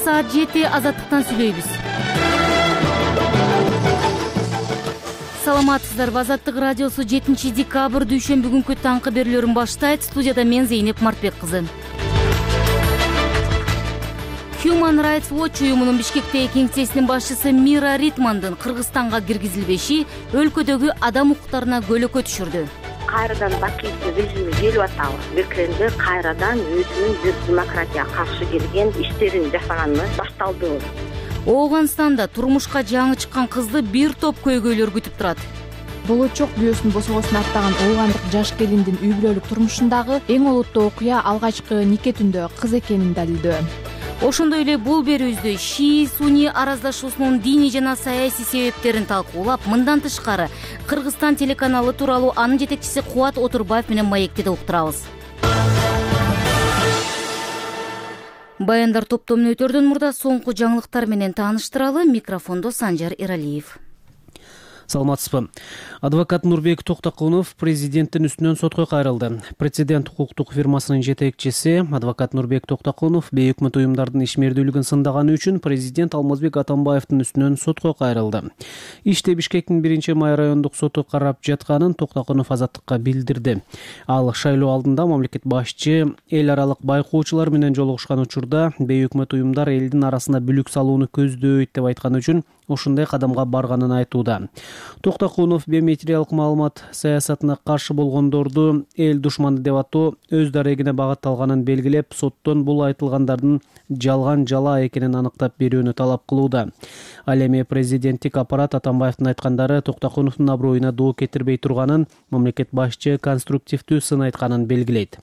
саат 7 Азаттыктан сүйлөйбүз. Саламатсыздарбы? Азаттык радиосу 7 декабрь дүйшөмбү күнкү таңкы берүүлөрүн баштайт. Студияда мен Зейнеп Мартбек кызы. Human Rights Watch уюмунун Бишкектеги кеңсесинин башчысы Мира Ритмандын Кыргызстанга киргизилбеши өлкөдөгү адам укуктарына көлөкө түшүрдү. Кайрадан Бакиевдин режими келип атабыз. Бекеринде кайрадан өзүнүн демократияга каршы келген иштерин жасаганына башталды. Ооганстанда турмушка жаңы чыккан кызды бир топ көйгөйлөр күтүп турат. Болочок күйөөсүн босогосуна аттаган оогандык жаш келиндин үй бүлөлүк турмушундагы эң олуттуу окуя алгачкы нике түндө кыз экенин далилдөө. Ошондой эле бул берүүбүздө Ши-Суни араздашуусунун диний жана саясий себептерин талкуулап, мындан тышкары Кыргызстан телеканалы тууралуу анын жетекчиси Кубат Отурбаев менен маекти да уктурабыз. Баяндар топтомун өтөрдөн мурда соңку жаңылыктар менен тааныштыралы. Микрофондо Санжар Иралиев. Саламатсызбы? Адвокат Нурбек Токтокунов президенттин үстүнөн сотко кайрылды. Прецедент укуктук фирмасынын жетекчиси адвокат Нурбек Токтокунов бейөкмөт уюмдардын ишмердүүлүгүн сындаганы үчүн президент Алмазбек Атамбаевдин үстүнөн сотко кайрылды. Иште Бишкектин 1-май райондук соту карап жатканын Токтокунов Азаттыкка билдирди. Ал шайлоо алдында мамлекет башчы эл аралык байкоочулар менен жолугушкан учурда бейөкмөт уюмдар элдин арасына бүлүк салууну көздөйт деп айткан үчүн ошондой кадамга барганын айтууда. Токтокунов биометриялык маалымат саясатына каршы болгондорду эл душманы деп атоо өз дарегине багытталганын белгилеп, соттон бул айтылгандардын жалган жала экенин аныктап берүүнү талап кылууда. Ал эми президенттик аппарат Атамбаевдин айткандары Токтокуновдун аброюна доо кетирбей турганын, мамлекет башчы конструктивдүү сын айтканын белгилейт.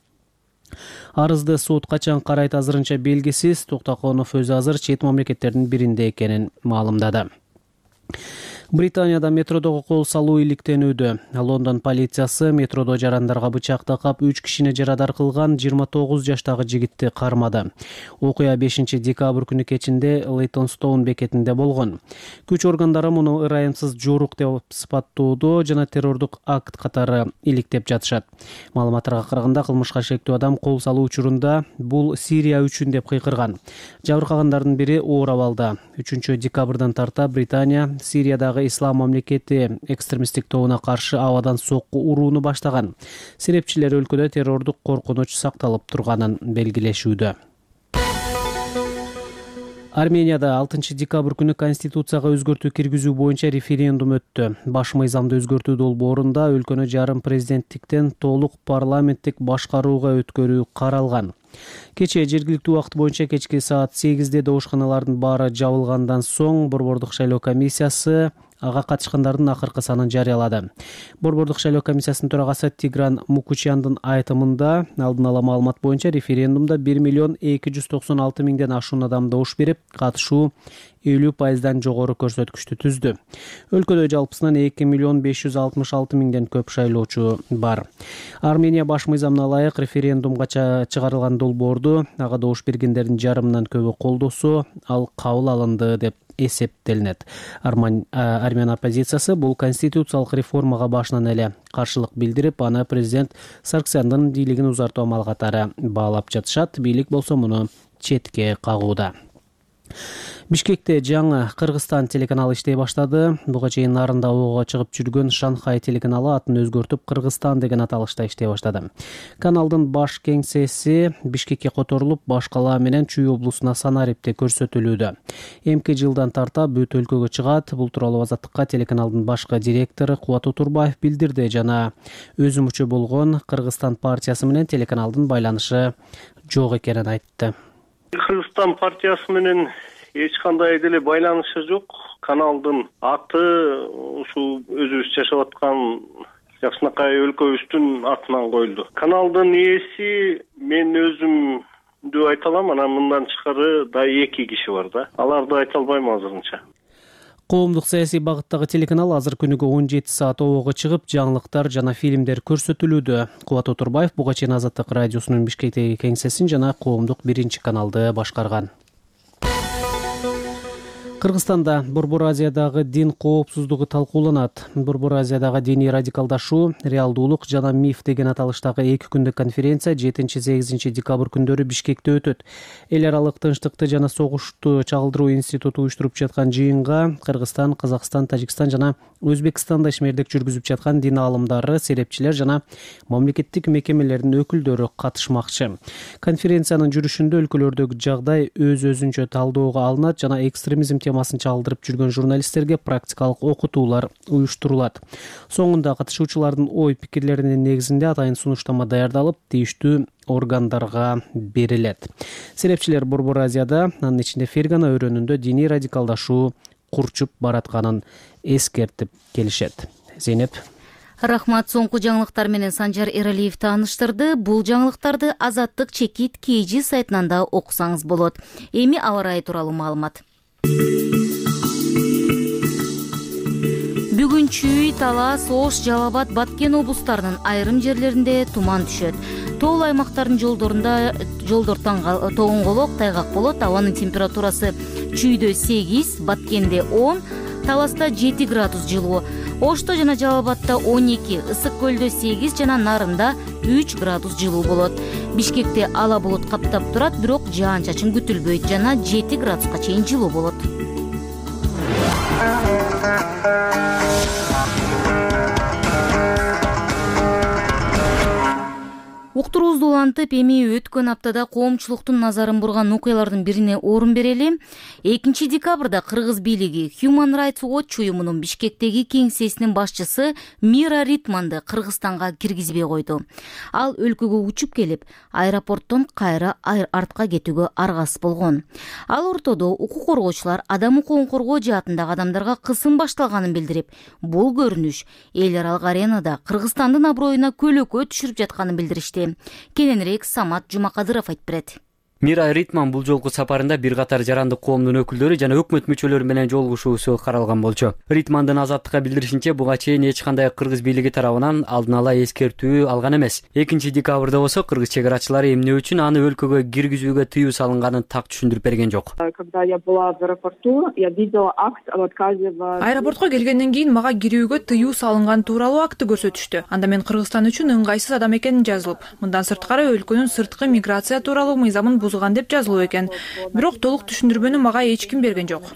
Арызды сот качан карайт азырынча белгисиз. Токтокунов өзү азыр чет мамлекеттердин биринде экенин маалымдады. Британияда метродогу кол салуу иликтенүүдө. Лондон полициясы метродо жарандарга бычак такап 3 кишини жарадар кылган 29 жаштагы жигитти кармады. Окуя 5 декабрь күнү кечинде Лейтонстоун бекетинде болгон. Күч органдары муну ырайымсыз жорук деп сыпаттоодо жана террордук акт катары иликтеп жатышат. Маалыматтарга караганда кылмышка шектүү адам кол салуу учурунда бул Сирия үчүн деп кыйкырган. Жабыркагандардын бири оор абалда. 3 декабрдан тарта Британия Сириядагы Ислам мамлекети экстремисттик тобуна каршы абадан сокку урууну баштаган. Серепчилер өлкөдө террордук коркунуч сакталып турганын белгилешүүдө. Арменияда 6 декабрь күнү конституцияга өзгөртүү киргизүү боюнча референдум өттү. Баш мыйзамды өзгөртүү долбоорунда өлкөнү жарым президенттиктен толук парламенттик башкарууга өткөрүү каралган. Кечээ жергиликтүү убакыт боюнча кечки саат 8-де доошканалардын баары жабылгандан соң Борбордук шайлоо комиссиясы ага катышкандардын акыркы санын жарыялады. Борбордук шайлоо комиссиясынын төрагасы Тигран Мукучяндын айтымында алдын ала маалымат боюнча референдумда 1,296,000 ашуун адам добуш берип, катышуу 50% жогору көрсөткүчтү түздү. Өлкөдө жалпысынан 2,566,000 көп шайлоочу бар. Армения баш мыйзамына ылайык референдумга чыгарылган долбоорду ага добуш бергендердин жарымынан көбү колдосо, ал кабыл алынды деп эсептелинет. Армян оппозициясы бул конституциялык реформага башынан эле каршылык билдирип, аны президент Сарксяндын бийлигин узартуу амалы катары баалап жатышат. Бийлик болсо муну четке кагууда. Бишкекте жаңы Кыргызстан телеканалы иштей баштады. Буга чейин нарында ого чыгып жүргөн Шанхай телеканалы атын өзгөртүп Кыргызстан деген аталышта иштей баштады. Каналдын баш кеңсеси Бишкекке которулуп, баш кала менен Чүй облусуна Санарипте көрсөтүлүүдө. Эмки жылдан тарта бүт өлкөгө чыгат. Бул тууралуу Азаттыкка телеканалдын башкы директору Кубат Отурбаев билдирди жана өзү мүчө болгон Кыргызстан партиясы менен телеканалдын байланышы жок экенин айтты. Кыргызстан партиясы менен эч кандай деле байланышы жок. Каналдын аты ушул өзүбүз жашап аткан жакшынакай өлкөбүздүн атынан коюлду. Каналдын ээси мен өзүмдү айта алам, анан мындан тышкары да 2 киши бар да. Аларды айта албайм азырынча. Коомдук саясий багыттагы телеканал азыр күнүгө 17 саат ого чыгып, жаңылыктар жана фильмдер көрсөтүлүүдө. Кубат Отурбаев буга чейин Азаттык радиосунун Бишкектеги кеңсесин жана коомдук 1-каналды башкарган. Кыргызстанда Борбор Азиядагы дин коопсуздугу талкууланат. Борбор Азиядагы диний радикалдашуу, реалдуулук жана миф деген аталыштагы 2 күндүк конференция 7-8 декабрь күндөрү Бишкекте өтөт. Эл аралык тынчтыкты жана согушту чагылдыруу институту уюштуруп жаткан жыйынга Кыргызстан, Казакстан, Тажикстан жана Өзбекстанда ишмердик жүргүзүп жаткан дин аалымдары, серепчилер жана мамлекеттик мекемелердин өкүлдөрү катышмакчы. Конференциянын жүрүшүндө өлкөлөрдөгү жагдай өз-өзүнчө талдөөгө алынат жана экстремизм темасын чагылдырып жүргөн журналисттерге практикалык окутуулар уюштурулат. Соңунда катышуучулардын ой пикирлеринин негизинде атайын сунуштама даярдалып, тийиштүү органдарга берилет. Серепчилер Борбор Азияда, анын ичинде Фергана өрөөнүндө диний радикалдашуу курчуп баратканын эскертип келишет. Зейнеп. Рахмат. Соңку жаңылыктар менен Санжар Эралиев тааныштырды. Бул жаңылыктарды Азаттык чекит KG сайтынан да окусаңыз болот. Эми аба ырайы тууралуу маалымат. Бүгүн Чүй, Талас, Ош, Жалал Абад, Баткен облустарынын айрым жерлеринде туман түшөт. Тоол аймактардын жолдор тоңголок, тайгак болот. Абанын температурасы Чүйдө 8, Баткенде 10, Таласта 7 градус жылуу. Ошто жана Жалал Абадта 12, Ысык көлдө 8 жана Нарында 3 градус жылуу болот. Бишкекте ала булут каптап турат, бирок жаан-чачын күтүлбөйт жана 7 градуска чейин жылуу болот. Уктуруубузду улантып, эми өткөн аптада коомчулуктун назарын бурган окуялардын бирине орун берели. 2 декабрда Кыргыз бийлиги Human Rights Watch уюмунун Бишкектеги кеңсесинин башчысы Мира Ритманды Кыргызстанга киргизбей койду. Ал өлкөгө учуп келип, аэропорттон кайра артка кетүүгө аргасыз болгон. Ал ортодо укук коргоочулар адам укугун коргоо жаатындагы адамдарга кысым башталганын билдирип, бул көрүнүш эл аралык аренада Кыргызстандын аброюна көлөкө түшүрүп жатканын билдиришти. Кененирээк Самат Жумакадыров айтып берет. Мира Ритман бул жолку сапарында бир катар жарандык коомдун өкүлдөрү жана өкмөт мүчөлөрү менен жолугушуусу каралган болчу. Ритмандын Азаттыкка билдиришинче, буга чейин эч кандай кыргыз бийлиги тарабынан алдын ала эскертүү алган эмес. 2 декабрда болсо кыргыз чек арачылары эмне үчүн аны өлкөгө киргизүүгө тыюу салынганын так түшүндүрүп берген жок. Когда я была в аэропорту, я видела акт об отказе в... Аэропортко келгенден кийин мага кирүүгө тыюу салынган тууралуу акты көрсөтүштү. Анда мен Кыргызстан үчүн ыңгайсыз адам экенин жазылып, мындан сырткары өлкөнүн сырткы миграция тууралуу мыйзамын деп жазылуу экен. Бирок толук түшүндүрмөнү мага эч ким берген жок.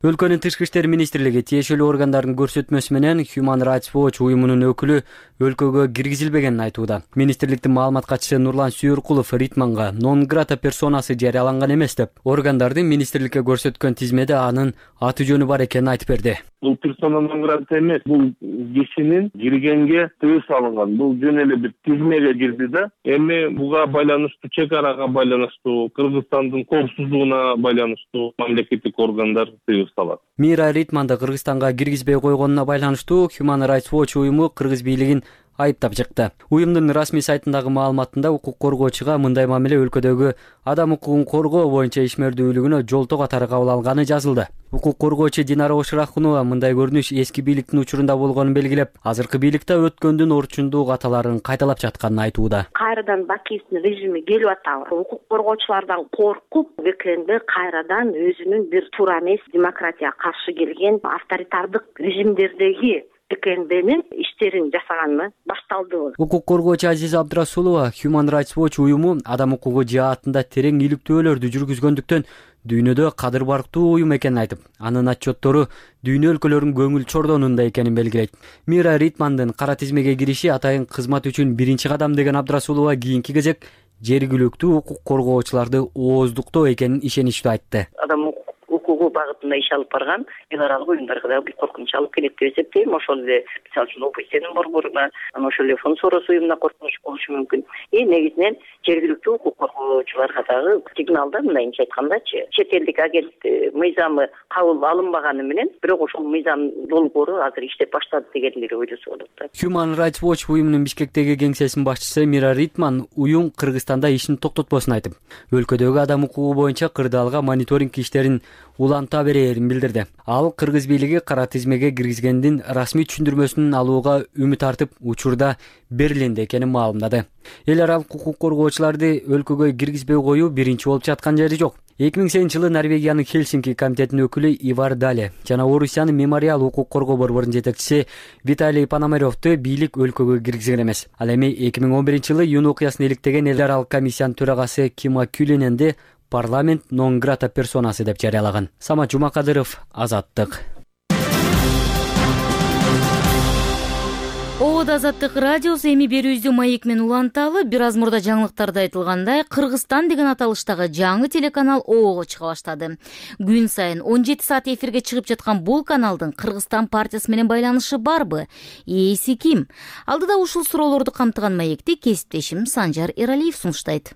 Өлкөнүн тышкы иштер министрлиги тиешелүү органдардын көрсөтмөсү менен Human Rights Watch уюмунун өкүлү өлкөгө киргизилбегенин айтууда. Министрликтин маалымат катчысы Нурлан Сүйөркулов Ритманга non grata персонасы жарыяланган эмес деп, органдардын министрликке көрсөткөн тизмеде анын аты жөнү бар экенин айтып берди. Бул персона non grata эмес, бул кишинин киргенге тыюу салынган. Бул жөн эле бир тизмеге кирди да. Эми буга байланыштуу, чек арага байланыштуу, Кыргызстандын коопсуздугуна байланыштуу мамлекеттик органдар тыюу салат. Мира Ритманды Кыргызстанга киргизбей койгонуна байланыштуу Human Rights Watch уюму кыргыз бийлигин айыптап чыкты. Уюмдун расмий сайтындагы маалыматында укук коргоочуга мындай мамиле өлкөдөгү адам укугун коргоо боюнча ишмердүүлүгүнө жолтоо катары кабыл алганы жазылды. Укук коргоочу Динара Оширахунова мындай көрүнүш эски бийликтин учурунда болгонун белгилеп, азыркы бийликте өткөндүн орчундуу каталарын кайталап жатканын айтууда. Кайрадан Бакиевдин режими келип атабы. Укук коргоочулардан коркуп, БКНде кайрадан өзүнүн бир туура эмес демократияга каршы келген авторитардык режимдердеги БКНдин иштерин жасаганына башталды. Укук коргоочу Азиза Абдрасулова Human Rights Watch уюму адам укугу жаатында терең иликтөөлөрдү жүргүзгөндүктөн дүйнөдө кадыр барктуу уюм экенин айтып, анын отчеттору дүйнө өлкөлөрүнүн көңүл чордонунда экенин белгилейт. Мира Ритмандын кара тизмеге кириши атайын кызмат үчүн биринчи кадам деген Абдрасулова кийинки кезек жергиликтүү укук коргоочуларды ооздуктоо экенин ишеничтүү айтты. Адам укугу багытында иш алып барган эл аралык уюмдарга да бир коркунуч алып келет деп эсептейм. Ошол эле мисалы үчүн ОБСЕнин борборуна, ошол эле Фонд Сорос уюмуна коркунуч болушу мүмкүн. Негизинен жергиликтүү укук коргоочуларга дагы сигналда, мындайынча айткандачы, чет элдик агент мыйзамы кабыл алынбаганы менен, бирок ошол мыйзам долбоору азыр иштеп баштады дегенлери ойлосо болот да. Human Rights Watch уюмунун Бишкектеги кеңсесинин башчысы Мира Ритман уюм Кыргызстанда ишин токтотпосун айтып, өлкөдөгү адам укугу боюнча кырдаалга мониторинг иштерин уланта берээрин билдирди. Ал кыргыз бийлиги кара тизмеге киргизгендин расмий түшүндүрмөсүн алууга үмүт артып, учурда Берлинде экенин маалымдады. Эл аралык укук коргоочуларды өлкөгө киргизбей коюу биринчи болуп жаткан жери жок. 2008-жылы Норвегиянын Хельсинки комитетинин өкүлү Ивар Дале жана Орусиянын мемориал укук коргоо борборунун жетекчиси Виталий Пономаревду бийлик өлкөгө киргизген эмес. Ал эми 2011-жылы июнь окуясын иликтеген эл аралык комиссиянын төрагасы Кима Кюлененди парламент нон грата персонасы деп жарыялаган. Самат Жумакадыров, Азаттык. Обод Азаттык радиосу эми берүүбүздү маек менен уланталы. Бир аз мурда жаңылыктарда айтылгандай, Кыргызстан деген аталыштагы жаңы телеканал Оого чыга баштады. Күн сайын 17 саат эфирге чыгып жаткан бул каналдын Кыргызстан партиясы менен байланышы барбы? Ээси ким? Алдыда ушул суроолорду камтыган маекти кесиптешим Санжар Эралиев сунуштайт.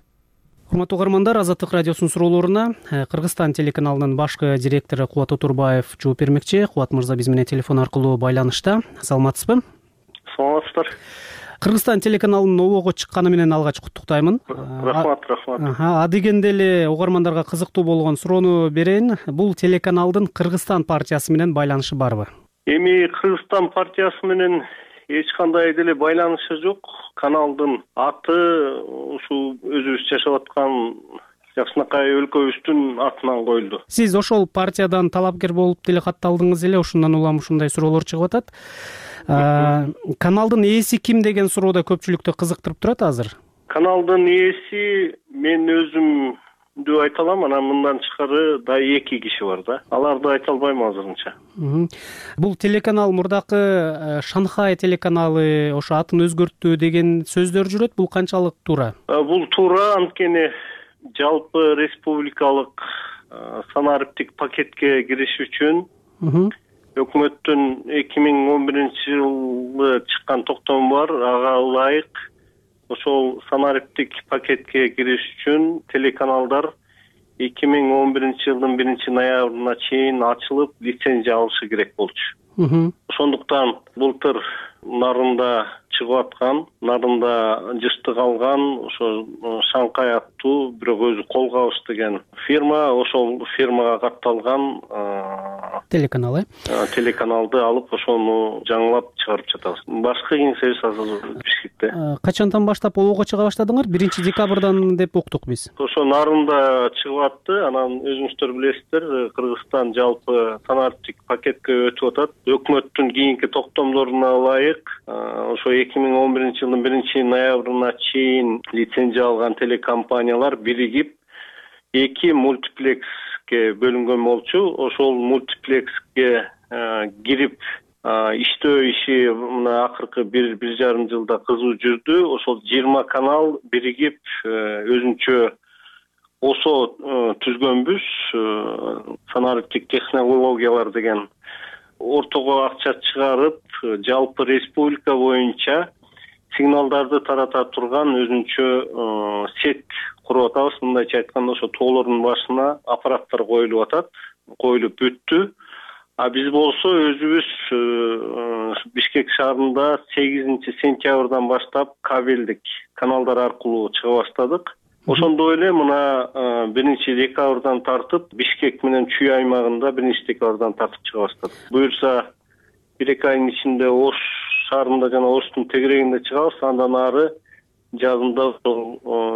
Урматтуу угармандар, Азаттык радиосунун суроолоруна Кыргызстан телеканалынын башкы директору Кубат Отурбаев жооп бермекчи. Кубат мырза биз менен телефон аркылуу байланышта. Саламатсызбы? Саламатсыздар. Кыргызстан телеканалынын Оого чыкканы менен алгач куттуктаймын. Рахмат. Адегенде эле угармандарга кызыктуу болгон суроону берейин. Бул телеканалдын Кыргызстан партиясы менен байланышы барбы? Эми Кыргызстан партиясы менен эч кандай деле байланышы жок. Каналдын аты ушул өзүбүз жашап аткан жакшынакай өлкөбүздүн атынан коюлду. Сиз ошол партиядан талапкер болуп деле катталдыңыз эле, ошондон улам ушундай суроолор чыгып атат. Каналдын ээси ким деген суроо да көпчүлүктү кызыктырып турат азыр. Каналдын ээси мен өзүмдү айта алам, анан мындан тышкары да 2 киши бар да. Аларды айта албайм азырынча. Бул телеканал мурдакы Шанхай телеканалы ошо атын өзгөрттү деген сөздөр жүрөт. Бул канчалык туура? Бул туура, анткени жалпы республикалык санариптик пакетке кириш үчүн өкмөттүн 2011-жылы чыккан токтому бар. Ага ылайык ошол санариптик пакетке кириш үчүн телеканалдар 2011-жылдын 1-ноябрына чейин ачылып лицензия алышы керек болчу. Ошондуктан былтыр нарында чыгып аткан, нарында жыштык алган ошо Шанхай аттуу, бирок өзү Колгабыз деген фирма, ошол фирмага катталган телеканал, телеканалды алып ошону жаңылап чыгарып жатабыз. Башкы кеңсебиз азыр Бишкекте. Качандан баштап Оого чыга баштадыңар? 1-декабрдан деп уктук биз. Ошо нарында чыгып атты. Анан өзүңүздөр билесиздер, Кыргызстан жалпы санариптик пакетке өтүп атат. Өкмөттүн кийинки токтомдоруна ылайык ошо 2011-жылдын 1-ноябрына чейин лицензия алган телекомпаниялар биригип 2 мультиплекске бөлүнгөн болчу. Ошол мультиплекске кирип иштөө иши мына акыркы 1,5 жылда кызуу жүрдү. Ошол 20 канал биригип өзүнчө ОСО түзгөнбүз. Санариптик технологиялар деген ортого акча чыгарып, жалпы республика боюнча сигналдарды тарата турган өзүнчө сет куруп атабыз. Мындайча айтканда, ошо тоолордун башына аппараттар коюлуп атат, коюлуп бүттү. Биз болсо өзүбүз Бишкек шаарында 8-сентябрдан баштап кабелдик каналдар аркылуу чыга баштадык. Ошондой эле мына 1-декабрдан тартып Бишкек менен Чүй аймагында 1-декабрдан тартып чыга баштадык. Буюрса 1-2 айдын ичинде Ош шаарында жана Оштун тегерегинде чыгабыз. Андан ары жазында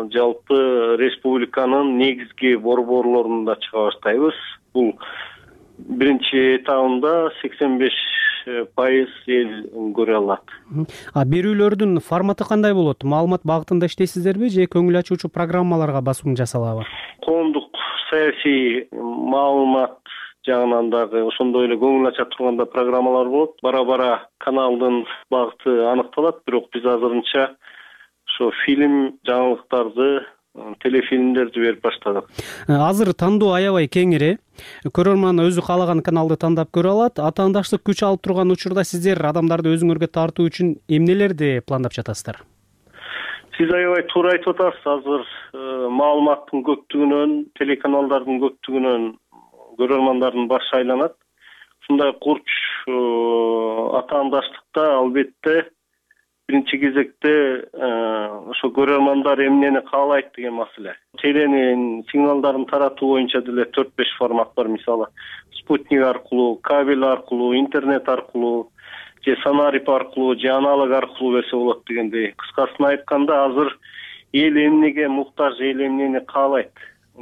жалпы республиканын негизги борборлорунда чыга баштайбыз. Бул биринчи этабында 85% эл көрө алат. Берүүлөрдүн форматы кандай болот? Маалымат багытында иштейсиздерби же көңүл ачуучу программаларга басым жасалабы? Коомдук саясий маалымат жагынан дагы ошондой эле көңүл ача турганда программалар болот. Бара-бара каналдын багыты аныкталат, бирок биз азырынча ошо фильм, жаңылыктарды, телефильмдерди берип баштадык. Азыр тандоо аябай кеңири. Көрөрман өзү каалаган каналды тандап көрө алат. Атаандаштык күч алып турган учурда сиздер адамдарды өзүңөргө тартуу үчүн эмнелерди пландап жатасыздар? Сиз аябай туура айтып атасыз. Азыр маалыматтын көптүгүнөн, телеканалдардын көптүгүнөн көрөрмандардын башы айланат. Ушундай курч атаандаштыкта албетте биринчи кезекте ошо көрөрмандар эмнени каалайт деген маселе. Теленин сигналдарын таратуу боюнча деле 4-5 формат бар. Мисалы, спутник аркылуу, кабель аркылуу, интернет аркылуу, же санарип аркылуу, же аналог аркылуу берсе болот дегендей. Кыскасын айтканда, азыр эл эмнеге муктаж, эл эмнени каалайт.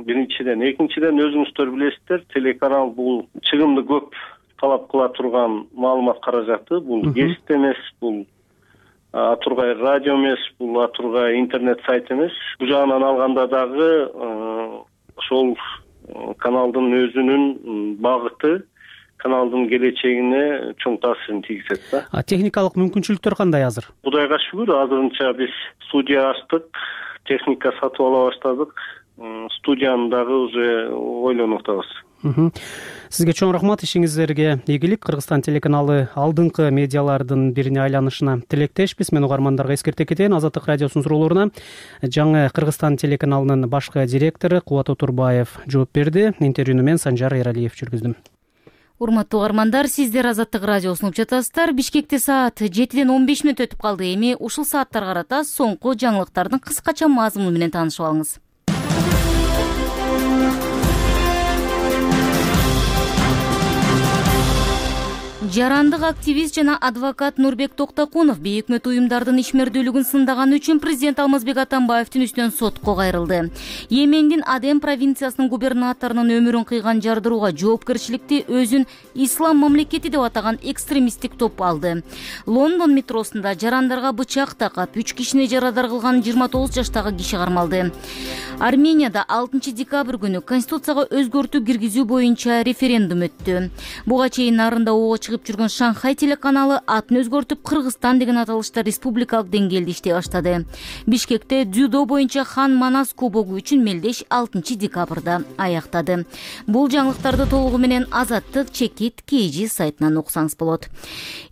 биринчиден. Экинчиден, өзүңүздөр билесиздер, телеканал бул чыгымды көп талап кыла турган маалымат каражаты. Бул гезит эмес, бул атургай радио эмес, бул атургай интернет сайт эмес. Бул жагынан алганда дагы ошол каналдын өзүнүн багыты каналдын келечегине чоң таасирин тийгизет да. Техникалык мүмкүнчүлүктөр кандай азыр? Кудайга шүгүр, азырынча биз студия ачтык, техника сатып ала баштадык. Студияны дагы уже ойлонуп атабыз. Сизге чоң рахмат, ишиңиздерге ийгилик. Кыргызстан телеканалы алдыңкы медиалардын бирине айланышына тилектешпиз. Мен угармандарга эскерте кетейин, Азаттык радиосунун суроолоруна жаңы Кыргызстан телеканалынын башкы директору Кубат Отурбаев жооп берди. Интервьюну мен Санжар Эралиев жүргүздүм. Урматтуу угармандар, сиздер Азаттык радиосун угуп жатасыздар. Бишкекте саат 7:15 өтүп калды. Эми ушул сааттарга карата соңку жаңылыктардын кыскача мазмуну менен таанышып алыңыз. Жарандык активист жана адвокат Нурбек Токтокунов бейөкмөт уюмдардын ишмердүүлүгүн сындаганы үчүн президент Алмазбек Атамбаевдин үстүнөн сотко кайрылды. Йемендин Аден провинциясынын губернаторунун өмүрүн кыйган жардырууга жоопкерчиликти өзүн ислам мамлекети деп атаган экстремисттик топ алды. Лондон метросунда жарандарга бычак такап 3 кишини жарадар кылган 29 жаштагы киши кармалды. Арменияда 6 декабрь күнү конституцияга өзгөртүү киргизүү боюнча референдум өттү. Буга чейин нарында ого чыгып жүргөн Шанхай телеканалы атын өзгөртүп Кыргызстан деген аталышта республикалык деңгээлде иштей баштады. Бишкекте дзюдо боюнча Хан Манас кубогу үчүн мелдеш 6 декабрда аяктады. Бул жаңылыктарды толугу менен Азаттык чекит KG сайтынан окусаңыз болот.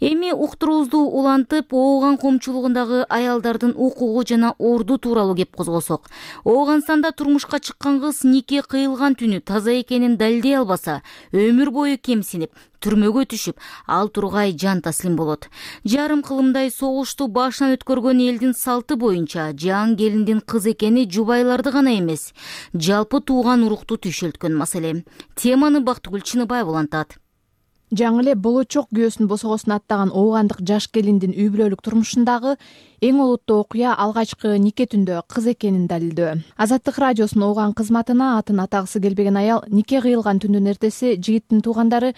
Эми уктуруубузду улантып, Ооган коомчулугундагы аялдардын укугу жана орду тууралуу кеп козгосок. Ооганстанда турмушка чыккан кыз нике кыйылган түнү таза экенин далилдей албаса, өмүр бою кемсинип, түрмөгө түшүп, ал тургай жан таслим болот. Жарым кылымдай согушту башынан өткөргөн элдин салты боюнча жан келиндин кыз экени жубайларды гана эмес, жалпы тууган урукту түйшөлткөн маселе. Теманы Бактыгүл Чыныбаева улантат. Жаңы эле болочок күйөөсүн босогосуна аттаган оогандык жаш келиндин үй бүлөлүк турмушундагы эң олуттуу окуя алгачкы нике түндө кыз экенин далилдөө. Азаттык радиосунун Ооган кызматына атын атагысы келбеген аял нике кыйылган түндүн эртеси жигиттин туугандары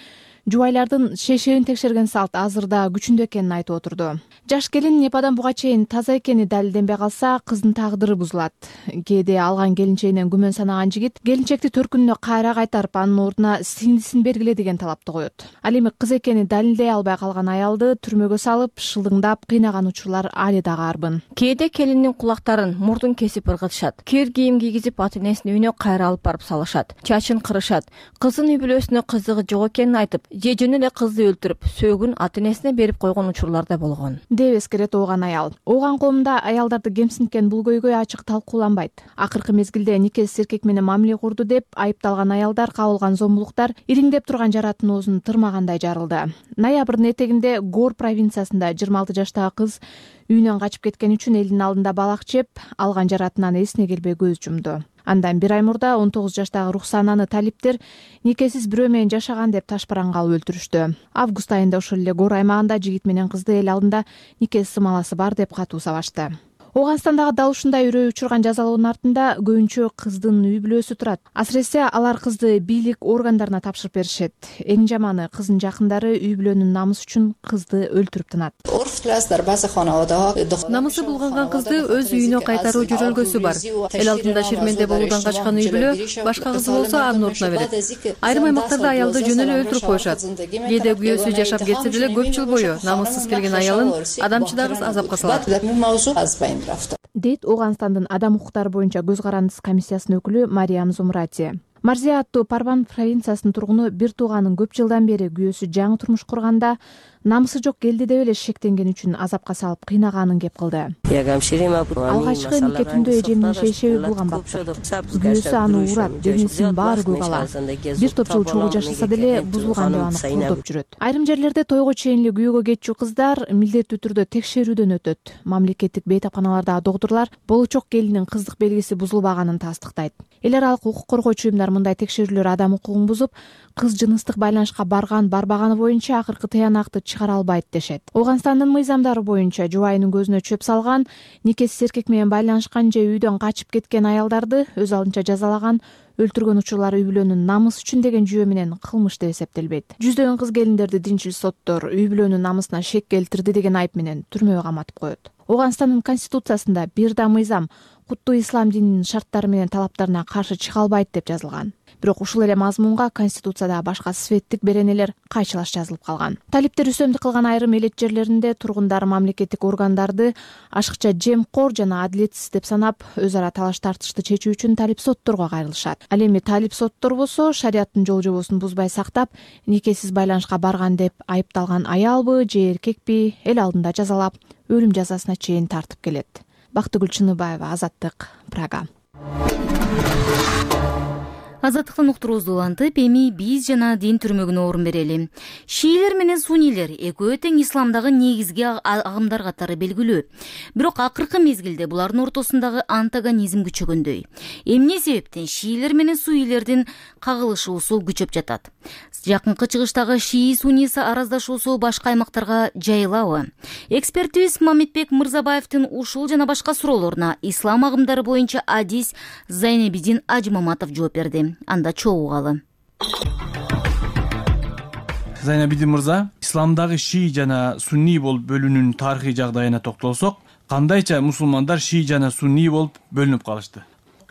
жубайлардын шешегин текшерген салт азырда күчүндө экенин айтып отурду. Жаш келин Непадан буга чейин таза экени далилденбей калса, кыздын тагдыры бузулат. Кээде алган келинчегинен күмөн санаган жигит келинчекти 4 күнүнө кайра кайтарып, анын ордуна сиңдисин бергиле деген талапты коет. Ал эми кыз экени далилдей албай калган аялды түрмөгө салып, шылдыңдап кыйнаган учурлар али дагы арбын. Кээде келиндин кулактарын, мурдун кесип ыргытышат. Кир кийим кийгизип ата энесинин үйүнө кайра алып барып салышат. Чачын кырышат. Кыздын үй бүлөсүнө кызыгы жок экенин айтып, же жөн эле кызды өлтүрүп, сөөгүн ата энесине берип койгон учурлар да болгон деп эскерет Ооган аял. Ооган коомунда аялдарды кемсинткен бул көйгөй ачык талкууланбайт. Акыркы мезгилде никесиз эркек менен мамиле курду деп айыпталган аялдар кабылган зомбулуктар ириңдеп турган жараттын оозун тырмагандай жарылды. Ноябрдын этегинде Гор провинциясында 26 жаштагы кыз үйүнөн качып кеткен үчүн элдин алдында балак жеп, алган жаратынан эсине келбей көз жумду. Андан 1 ай мурда 19 жаштагы Рухсананы талиптер никесиз бирөө менен жашаган деп ташпаранга алып өлтүрүштү. Август айында ошол эле Гор аймагында жигит менен кызды эл алдында нике сымаласы бар деп катуу сабашты. Ооганстандагы дал ушундай үрөй учурган жазалоонун артында көбүнчө кыздын үй бүлөсү турат. Асыресе алар кызды бийлик органдарына тапшырып беришет. Эң жаманы кыздын жакындары үй бүлөнүн намысы үчүн кызды өлтүрүп тынат. Намысы булганган кызды өз үйүнө кайтаруу жөрөлгөсү бар. Эл алдында шерменде болуудан качкан үй бүлө башка кызы болсо анын ордуна берет. Айрым аймактарда аялды жөн эле өлтүрүп коюшат. Кээде күйөөсү жашап кетсе деле көп жыл бою намыссыз келген аялын адамчыдагыс азапка салат. Дейт Ооганстандын адам укуктары боюнча көз карандысы комиссиясынын өкүлү Мариям Зумрати. Марзия аттуу Парбан провинциясынын тургуну бир тууганын көп жылдан бери күйөөсү жаңы турмуш курганда намысы жок келди деп эле шектенген үчүн азапка салып кыйнаганын кеп кылды. Алгачкы нике түндө эжемдин шейшеби булган баптык. Күйөөсү аны урат, денесинин баары көк ала. Бир топ жыл чогуу жашаса деле бузулган деп аны колдоп жүрөт. Айрым жерлерде тойго чейин эле күйөөгө кетчү кыздар милдеттүү түрдө текшерүүдөн өтөт. Мамлекеттик бейтапканалардагы доктурлар болочок келиндин кыздык белгиси бузулбаганын тастыктайт. Эл аралык укук коргоочу уюмдар мындай текшерүүлөр адам укугун бузуп, кыз жыныстык байланышка барган, барбаганы боюнча акыркы тыянакты чыгара албайт дешет. Ооганстандын мыйзамдары боюнча жубайынын көзүнө чөп салган, никесиз эркек менен байланышкан же үйдөн качып кеткен аялдарды өз алдынча жазалаган, өлтүргөн учурлар үй бүлөнүн намысы үчүн деген жүйө менен кылмыш деп эсептелбейт. Жүздөгөн кыз келиндерди динчил соттор үй бүлөнүн намысына шек келтирди деген айып менен түрмөгө каматып коет. Ооганстандын конституциясында бир да мыйзам куттуу ислам дининин шарттары менен талаптарына каршы чыга албайт деп жазылган. Бирок ушул эле мазмунга конституцияда башка светтик беренелер кайчылаш жазылып калган. Талиптер үстөмдүк кылган айрым элет жерлеринде тургундар мамлекеттик органдарды ашыкча жемкор жана адилетсиз деп санап, өз ара талаш тартышты чечүү үчүн талип сотторго кайрылышат. Ал эми талип соттор болсо шариаттын жол жобосун бузбай сактап, никесиз байланышка барган деп айыпталган аялбы же эркекпи эл алдында жазалап, өлүм жазасына чейин тартып келет. Бактыгүл Чыныбаева, Азаттык, Прага. Азаттыктын уктуруубузду улантып, эми биз жана дин түрмөгүнө орун берели. Шиилер менен суннийлер экөө тең исламдагы негизги агымдар катары белгилүү. Бирок акыркы мезгилде булардын ортосундагы антагонизм күчөгөндөй. Эмне себептен шиилер менен суннийлердин кагылышуусу күчөп жатат? Жакынкы чыгыштагы шии-сунни араздашуусу башка аймактарга жайылабы? Экспертибиз Мамитбек Мырзабаевдин ушул жана башка суроолоруна ислам агымдары боюнча адис Зайнебидин Ажимаматов жооп берди. Анда чогуу угалы. Зайнебидин мырза, исламдагы шии жана сунни болуп бөлүнүүнүн тарыхый жагдайына токтолсок, кандайча мусулмандар шии жана сунни болуп бөлүнүп калышты?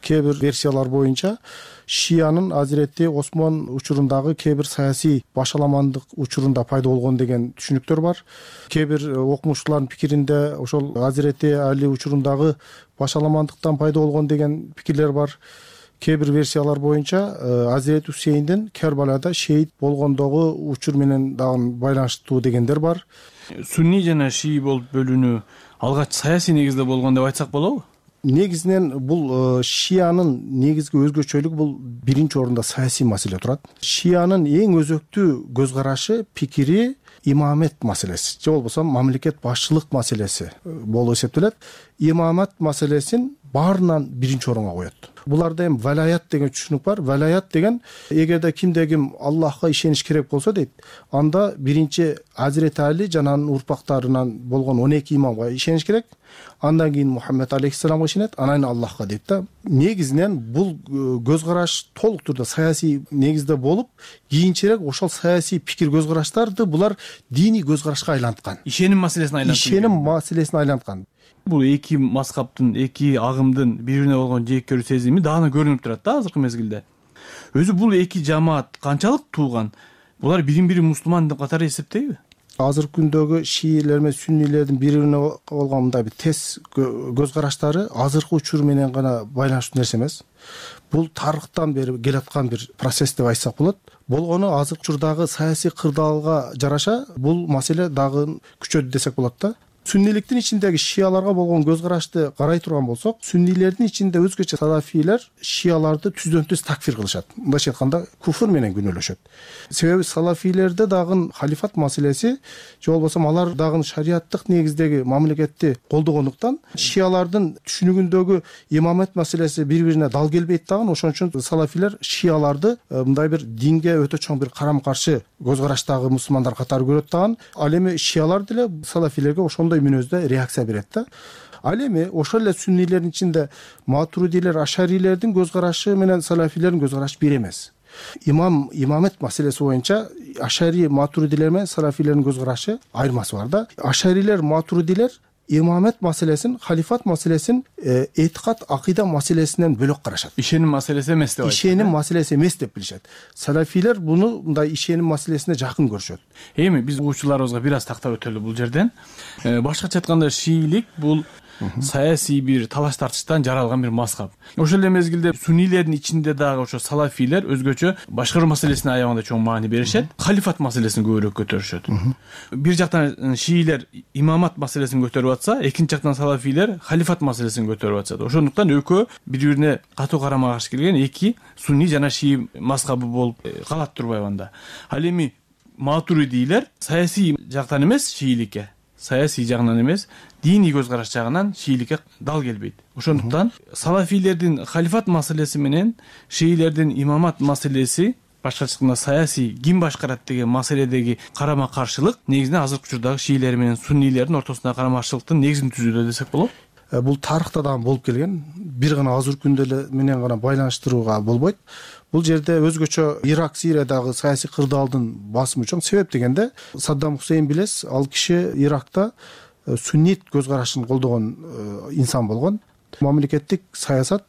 Кээ бир версиялар боюнча шиянын Азирети Осмон учурундагы кээ бир саясий башаламандык учурунда пайда болгон деген түшүнүктөр бар. Кээ бир окумуштуулардын пикиринде ошол Азирети Али учурундагы башаламандыктан пайда болгон деген пикирлер бар. Кээ бир версиялар боюнча Азирет Хусейндин Кербалада шейит болгондогу учур менен дагы байланыштуу дегендер бар. Сунни жана шии болуп бөлүнүү алгач саясий негизде болгон деп айтсак болобу? Негизинен бул шиянын негизги өзгөчөлүгү бул биринчи орунда саясий маселе турат. Шиянын эң өзөктүү көз карашы, пикири имамет маселеси же болбосо мамлекет башчылык маселеси болуп эсептелет. Имамат маселесин баарынан биринчи орунга коет. Буларда эми валаят деген түшүнүк бар. Валаят деген эгерде кимде ким Аллахка ишениш керек болсо дейт, анда биринчи Азирет Али жана анын урпактарынан болгон 12 имамга ишениш керек. Андан кийин Мухаммед алейхиссаламга ишенет, анан Аллахка дейт да. Негизинен бул көз караш толук турда саясий негизде болуп, кийинчерээк ошол саясий пикир көз караштарды булар диний көз карашка айланткан. Ишеним маселесине айланткан. Бул эки мазхабтын, эки агымдын бири-бирине болгон жээккөрүү сезими дагы көрүнүп турат да азыркы мезгилде. Өзү бул эки жамаат канчалык тууган? Булар бирин-бири мусулман катары эсептейби? Азыркы күндөгү шиилер менен суннилердин бири-бирине болгон мындай бир тез көз караштары азыркы учур менен гана байланыштуу нерсе эмес. Бул тарыхтан бери келаткан бир процесс деп айтсак болот. Болгону азыркы учурдагы саясий кырдаалга жараша бул маселе дагы күчөдү десек болот да. Сунниликтин ичиндеги шияларга болгон көз карашты карай турган болсок, суннилердин ичинде өзгөчө салафийлер шияларды түздөн-түз такфир кылышат. Мындайча айтканда, куфр менен күнөөлөшөт. Себеби салафийлерде дагы халифат маселеси, же болбосо алар дагы шариаттык негиздеги мамлекетти колдогондуктан, шиялардын түшүнүгүндөгү имамет маселеси бири-бирине дал келбейт дагы. Ошон үчүн салафийлер шияларды мындай бир динге өтө чоң бир карама-каршы көз караштагы мусулмандар катары көрөт дагы. Ал эми шиялар деле салафийлерге ошондой мүнөздө реакция берет да. Ал эми ошол эле суннилердин ичинде матуридилер, ашарилердин көз карашы менен салафилердин көз карашы бир эмес. Имамет маселеси боюнча ашари, матуридилер менен салафилердин көз карашы айырмасы бар да. Ашарилер, матуридилер имамет маселесин, халифат маселесин этикат, акыйда маселесинен бөлөк карашат. Ишеним маселеси эмес деп айтат. Ишеним маселеси эмес деп билишет. Салафилер буну мындай ишеним маселесине жакын көрүшөт. Эми биз угуучуларыбызга бир аз тактап өтөлү бул жерден. Башкача айтканда шиилик бул саясий бир талаш тартыштан жаралган бир мазхаб. Ошол эле мезгилде суннилердин ичинде дагы ошо салафийлер өзгөчө башкаруу маселесине аябаганда чоң маани беришет, халифат маселесин көбүрөөк көтөрүшөт. Бир жактан шиилер имамат маселесин көтөрүп атса, экинчи жактан салафийлер халифат маселесин көтөрүп атышат. Ошондуктан экөө бири-бирине катуу карама-каршы келген эки сунни жана шии мазхабы болуп калат турбайбы анда. Ал эми матуридилер саясий жактан эмес шииликке, саясий жагынан эмес, диний көз караш жагынан шииликке дал келбейт. Ошондуктан салафийлердин халифат маселеси менен шиилердин имамат маселеси башкача айтканда саясий ким башкарат деген маселедеги карама каршылык негизинен азыркы учурдагы шиилер менен суннийлердин ортосундагы карама каршылыктын негизин түзүүдө десек болот. Бул тарыхта дагы болуп келген. Бир гана азыркы күндө менен гана байланыштырууга болбойт. Бул жерде өзгөчө Ирак, Сириядагы саясий кырдаалдын басымы чоң. Себеп дегенде Саддам Хусейн билесиз, ал киши Иракта суннит көз карашын колдогон инсан болгон. Мамлекеттик саясат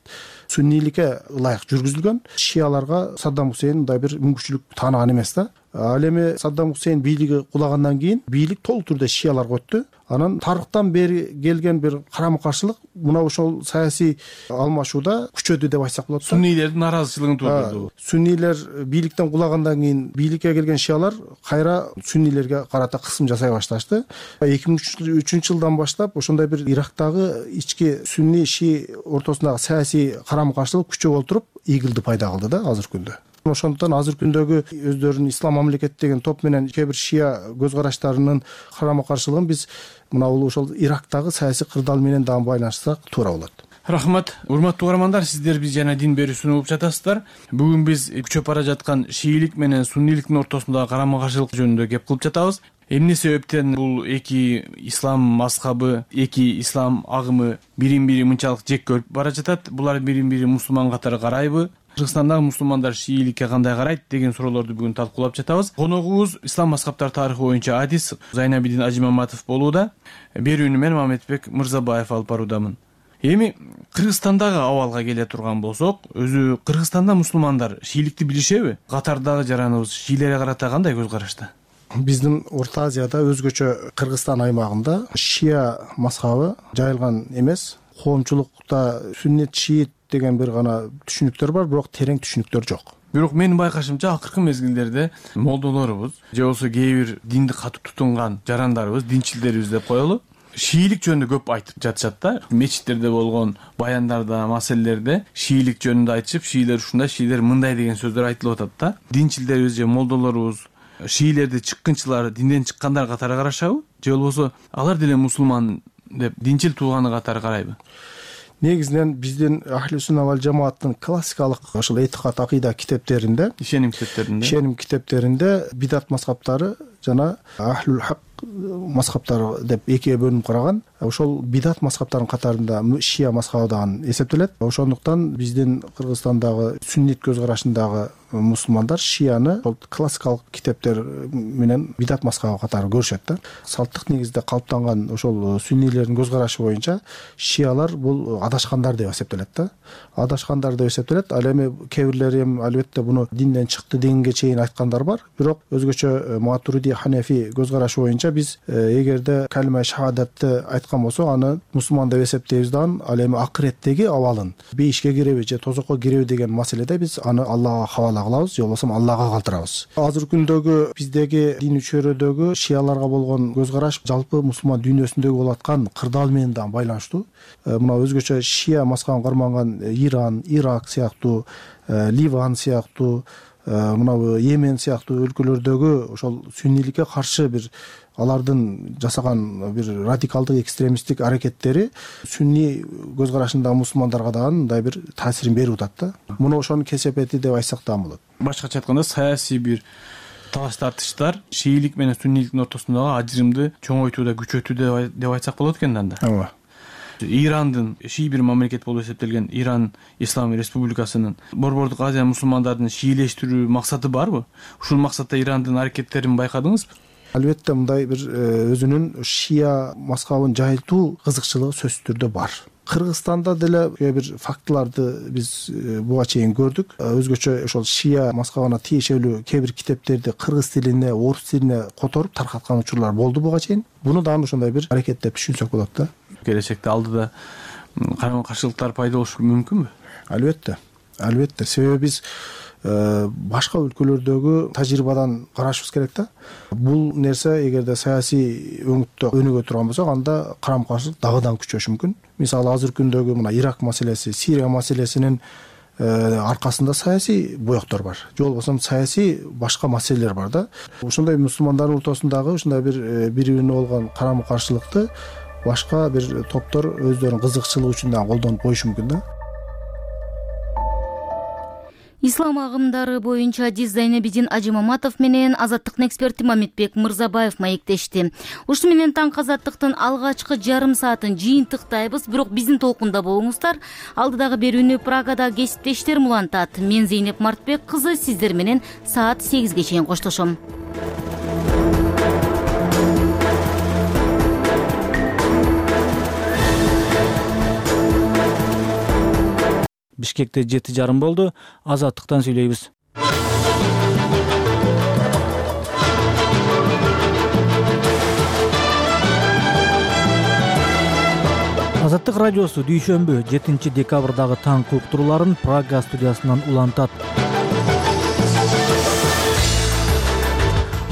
суннийликке ылайык жүргүзүлгөн. Шияларга Саддам Хусейн мындай бир мүмкүнчүлүк тааныган эмес да. Ал эми Саддам Хусейн бийлиги кулагандан кийин бийлик толук түрдө шияларга өттү. Анан тарыхтан бери келген бир карама каршылык мына ошол саясий алмашууда күчөдү деп айтсак болот. Суннийлердин наразычылыгын туудурду. Суннийлер бийликтен кулагандан кийин бийликке келген шиялар кайра суннийлерге карата кысым жасай башташты. 2003 жылдан баштап ошондой бир Ирактагы ички сунни шии ортосундагы саясий карама каршылык күчөп олтуруп игилди пайда кылды да азыркы күндө. Ошондуктан азыркы күндөгү өздөрүнүн ислам мамлекети деген топ менен кээ бир шия көз караштарынын карама каршылыгын биз мына бул ошол Ирактагы саясий кырдаал менен дагы байланыштырсак туура болот. Рахмат. Урматтуу угармандар, сиздер биз жана дин берүүсүн угуп жатасыздар. Бүгүн биз күчөп бара жаткан шиилик менен суннийликтин ортосундагы карама каршылык жөнүндө кеп кылып жатабыз. Эмне себептен бул эки ислам мазхабы, эки ислам агымы бирин-бири мынчалык жек көрүп бара жатат? Булар бирин-бири мусулман катары карайбы? Кыргызстандагы мусулмандар шииликке кандай карайт деген суроолорду бүгүн талкуулап жатабыз. Коногубуз ислам мазхабтар тарыхы боюнча адис Зайнабидин Ажимаматов болууда. Берүүнү мен Мамедбек Мырзабаев алып баруудамын. Эми Кыргызстандагы абалга келе турган болсок, өзү Кыргызстанда мусулмандар шииликти билишеби? Катардагы жараныбыз шиилерге карата кандай көз карашта? Биздин Орто Азияда өзгөчө Кыргызстан аймагында шия мазхабы жайылган эмес. Коомчулукта сүннет шиит деген бир гана түшүнүктөр бар, бирок терең түшүнүктөр жок. Бирок менин байкашымча акыркы мезгилдерде молдолорубуз же болбосо кээ бир динди катуу тутунган жарандарыбыз, динчилдерибиз деп коелу, шиилик жөнүндө көп айтып жатышат да. Мечиттерде болгон баяндарда, маселелерде шиилик жөнүндө айтышып, шиилер ушундай, шиилер мындай деген сөздөр айтылып атат да. Динчилдерибиз же молдолорубуз шиилерди чыккынчылар, динден чыккандар катары карашабы? Же болбосо алар деле мусулман деп динчил тууганы катары карайбы? Негизинен биздин Ахли Сунна вал Жамааттын классикалык ошол этикат акыйда китептеринде, ишеним китептеринде бидат мазхабтары жана Ахлул Хак мазхабтары деп экиге бөлүнүп караган. Ошол бидат мазхабтарынын катарында шия мазхабы дагы эсептелет. Ошондуктан биздин Кыргызстандагы сүннит көз карашындагы мусулмандар шияны ошол классикалык китептер менен бидат мазхабы катары көрүшөт да. Салттык негизде калыптанган ошол сүннийлердин көз карашы боюнча шиялар бул адашкандар деп эсептелет да. Адашкандар деп эсептелет. Ал эми кээ бирлери эми албетте буну динден чыкты дегенге чейин айткандар бар. Бирок өзгөчө Матуриди, Ханефи көз карашы боюнча биз эгерде калима шахадатты айткан болсок, аны мусулман деп эсептейбиз да. Ал эми акыреттеги абалын бейишке киреби же тозокко киреби деген маселеде биз аны Аллага хавала кылабыз, же болбосо Аллага калтырабыз. Азыркы күндөгү биздеги дин чөйрөдөгү шияларга болгон көз караш жалпы мусулман дүйнөсүндөгү болуп аткан кырдаал менен дагы байланыштуу. Мына өзгөчө шия мазхабын карманган Иран, Ирак сыяктуу, Ливан сыяктуу, мына Йемен сыяктуу өлкөлөрдөгү ошол сүннийликке каршы бир алардын жасаган бир радикалдык экстремисттик аракеттери сүнни көз карашындагы мусулмандарга дагы мындай бир таасирин берип атат да. Муну ошонун кесепети деп айтсак дагы болот. Башкача айтканда саясий бир талаш тартыштар шиилик менен сүннийликтин ортосундагы ажырымды чоңойтууда, күчөтүүдө деп айтсак болот экен да. Ооба. Ирандын шии бир мамлекет болуп эсептелген Иран Ислам Республикасынын Борбордук Азия мусулмандарын шиилештирүү максаты барбы? Ушул максатта Ирандын аракеттерин байкадыңызбы? Албетте мындай бир өзүнүн шия мазхабын жайылтуу кызыкчылыгы сөзсүз түрдө бар. Кыргызстанда деле кээ бир фактыларды биз буга чейин көрдүк. Өзгөчө ошол шия мазхабына тиешелүү кээ бир китептерди кыргыз тилине, орус тилине которуп таркаткан учурлар болду буга чейин. Буну дагы ошондой бир аракет деп түшүнсөк болот да. Келечекте алдыда карама каршылыктар пайда болушу мүмкүнбү? Албетте. Себеби биз башка өлкөлөрдөгү тажрыйбадан карашыбыз керек да. Бул нерсе эгерде саясий өңүттө өнүгө турган болсо, анда карама каршылык дагыдан күчөшү мүмкүн. Мисалы азыркы күндөгү мына Ирак маселеси, Сирия маселесинин аркасында саясий боектор бар. Же болбосо саясий башка маселелер бар да. Ошондой мусулмандардын ортосундагы ушундай бир бири-бирине болгон карама каршылыкты башка бир топтор өздөрүнүн кызыкчылыгы үчүн дагы колдонуп коюшу мүмкүн да. Ислам агымдары боюнча адис Зайнабидин Ажимаматов менен Азаттыктын эксперти Мамитбек Мырзабаев маектешти. Ушуну менен таңкы Азаттыктын алгачкы жарым саатын жыйынтыктайбыз, бирок биздин толкунда болуңуздар. Алдыдагы берүүнү Прагада кесиптештерим улантат. Мен Зейнеп Мартбек кызы сиздер менен саат 8ге чейин коштошом. Бишкекте 7:30 болду. Азаттыктан сүйлөйбүз. Азаттык радиосу дүйшөмбү 7 декабрдагы таңкы уктурууларын Прага студиясынан улантат.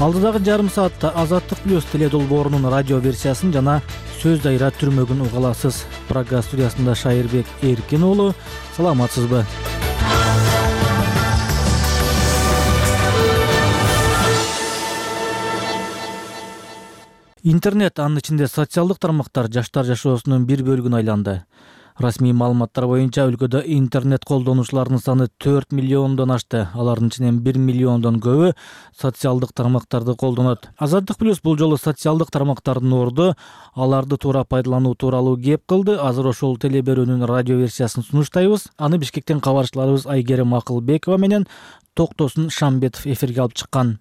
Алдыдагы жарым саатта Азаттык плюс теледолбоорунун радио версиясын жана сөз дайра түрмөгүн уга аласыз. Прага студиясында Шайырбек Эркин уулу, саламатсызбы? Интернет, анын ичинде социалдык тармактар жаштар жашоосунун бир бөлүгүн айланды. Расмий маалыматтар боюнча өлкөдө интернет колдонуучулардын саны 4 миллиондон ашты. Алардын ичинен 1 миллиондон көбү социалдык тармактарды колдонот. Азаттык плюс бул жолу социалдык тармактардын орду аларды туура пайдалануу тууралуу кеп кылды. Азыр ошол телеберүүнүн радио версиясын сунуштайбыз. Аны Бишкектен кабарчыларыбыз Айгерим Акылбекова менен Токтосун Шамбетов эфирге алып чыккан.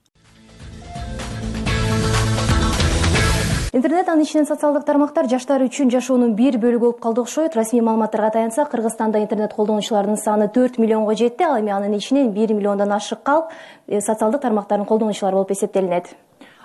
Интернет, анын ичинен социалдык тармактар жаштар үчүн жашоонун бир бөлүгү болуп калды окшойт. Расмий маалыматтарга таянсак, Кыргызстанда интернет колдонуучулардын саны 4 миллионго жетти. Ал эми анын ичинен 1 миллиондон ашык калп социалдык тармактардын колдонуучулары болуп эсептелинет.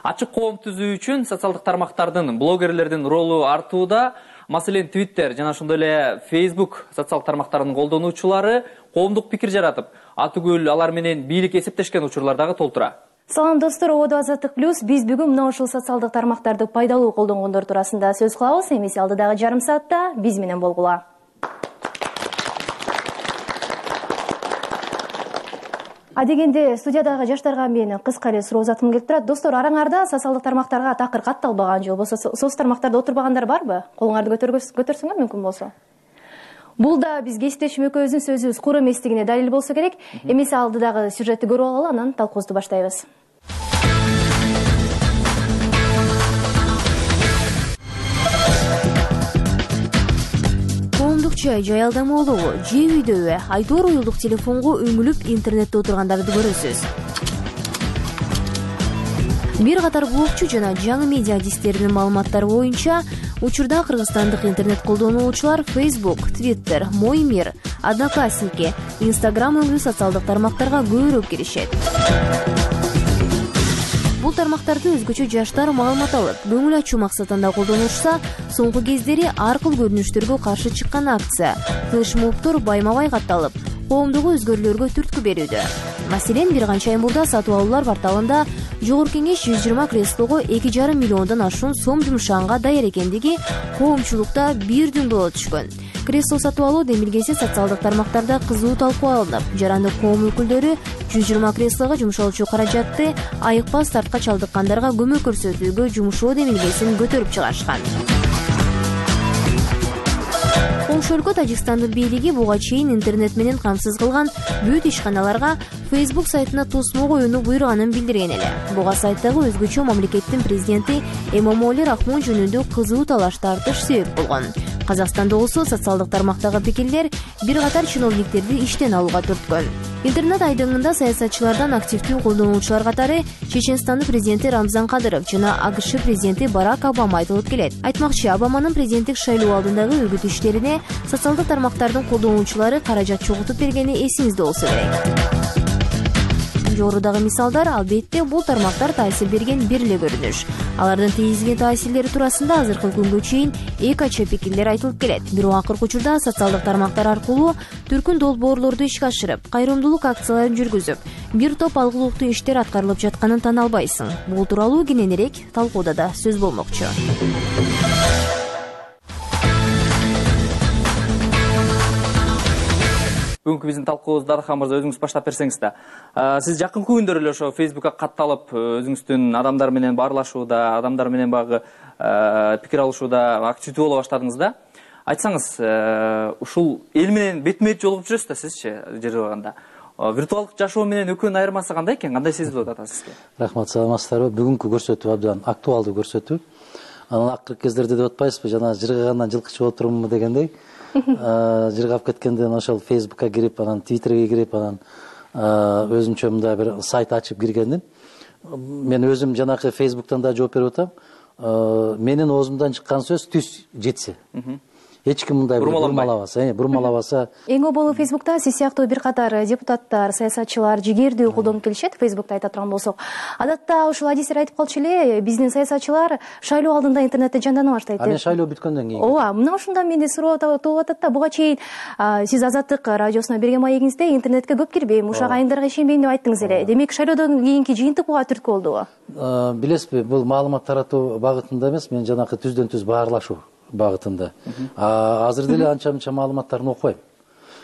Ачык коом түзүү үчүн социалдык тармактардын, блогерлердин ролу артууда. Маселен, Twitter жана ошондой эле Facebook социалдык тармактарынын колдонуучулары коомдук пикир жаратып, атүгүл алар менен бийлик эсептешкен учурлар дагы толтура. Салам достор, Ободо Азаттык плюс. Биз бүгүн мына ушул социалдык тармактарды пайдалуу колдонгондор туурасында сөз кылабыз. Эмесе алдыдагы жарым саатта биз менен болгула. Адегенде студиядагы жаштарга мен кыска эле суроо узаткым келип турат. Достор, араңарда социалдык тармактарга такыр катталбаган же болбосо соц тармактарда отурбагандар барбы? Колуңарды көтөрсөңөр мүмкүн болсо. Бул да биз кесиптешим экөөбүздүн сөзүбүз кур эместигине далил болсо керек. Эмесе алдыдагы сюжетти көрүп алалы, анан талкуубузду баштайбыз. Коомдук чай, жай алдамалуу, же үйдөбү, айтор уюлдук телефонго үңүлүп интернетте отургандарды көрөсүз. Бир катар блогчу жана жаңы медиа адистеринин маалыматтары боюнча, учурда кыргызстандык интернет колдонуучулар Facebook, Twitter, Мой мир, Одноклассники, Instagram өлүү социалдык тармактарга көбүрөөк киришет. Бул тармактарды өзгөчө жаштар маалымат алып, көңүл ачуу максатында колдонушса, соңку кездери ар кыл көрүнүштөргө каршы чыккан акция, флешмобдор байма-бай катталып, коомдугу өзгөрүүлөргө түрткү берүүдө. Маселен, бир канча ай мурда сатып алуулар порталында Жогорку Кеңеш 120 креслого 2,5 миллиондон ашуун сом жумшаганга даяр экендиги коомчулукта бир дүң боло түшкөн. Кресло сатып алуу демилгеси социалдык тармактарда кызуу талкуу алынып, жарандык коом өкүлдөрү 120 креслого жумшалуучу каражатты айыкпас тартка чалдыккандарга көмөк көрсөтүүгө жумшоо демилгесин көтөрүп чыгарышкан. Коңшу өлкө Тажикстандын бийлиги буга чейин интернет менен камсыз кылган бүт ишканаларга Facebook сайтына тосмо коюуну буйруганын билдирген эле. Буга сайттагы өзгөчө мамлекеттин президенти Эмомали Рахмон жөнүндө кызуу талаш тартыш себеп болгон. Казакстанда болсо социалдык тармактагы пикирлер бир катар чиновниктерди иштен алууга түрткөн. Интернет айдыңында саясатчылардан активдүү колдонуучулар катары Чеченстандын президенти Рамзан Кадыров жана АКШ президенти Барак Обама айтылып келет. Айтмакчы, Обаманын президенттик шайлоо алдындагы үгүт иштерине социалдык тармактардын колдонуучулары каражат чогултуп бергени эсиңизде болсо керек. Жогорудагы мисалдар албетте бул тармактар таасир берген бир эле көрүнүш. Алардын тийгизген таасирлери туурасында азыркы күнгө чейин эки ача пикирлер айтылып келет. Бирок акыркы учурда социалдык тармактар аркылуу түркүн долбоорлорду ишке ашырып, кайрымдуулук акцияларын жүргүзүп, бир топ алгылыктуу иштер аткарылып жатканын тана албайсың. Бул тууралуу кененирээк талкууда да сөз болмокчу. Бүгүнкү биздин талкуубузду Дархан мырза өзүңүз баштап берсеңиз да. Сиз жакынкы күндөр эле ошо Facebook'ка катталып, өзүңүздүн адамдар менен баарлашууда, адамдар менен багы пикир алышууда активдүү боло баштадыңыз да. Айтсаңыз, ушул эл менен бетме-бет жолугуп жүрөсүз да сизчи, жер баганда. Виртуалдык жашоо менен экөөнүн айырмасы кандай экен? Кандай сезилип атат сизге? Рахмат, саламатсыздарбы? Бүгүнкү көрсөтүү абдан актуалдуу көрсөтүү. Анан акыркы кездерде деп атпайсызбы, жана жыргагандан жылкычы болуп турумбу дегендей. Жыргап кеткенден ошол Facebook'ка кирип, анан Twitter'ге кирип, анан өзүмчө мындай бир сайт ачып киргендим. Мен өзүм жанакы Facebook'тан да жооп берип атам. Менин оозумдан чыккан сөз түз жетсе. Эч ким мындай бурмалабаса. Эң оболу Facebook'та сиз сыяктуу бир катар депутаттар, саясатчылар жигердүү колдонуп келишет. Facebook'та айта турган болсок, адатта ушул адистер айтып калчу эле, биздин саясатчылар шайлоо алдында интернетте жандана баштайт. Анан шайлоо бүткөндөн кийин. Ооба, мына ушундан менде суроо тууп атат да. Буга чейин сиз Азаттык радиосуна берген маегиңизде интернетке көп кирбейм, ушак айымдарга ишенбейм деп айттыңыз эле. Демек шайлоодон кийинки жыйынтык буга түрткү болдубу? Билесизби, бул маалымат таратуу багытында эмес, мен жанакы түздөн түз баарлашуу багытында. Азыр деле анча мынча маалыматтарын окубайм.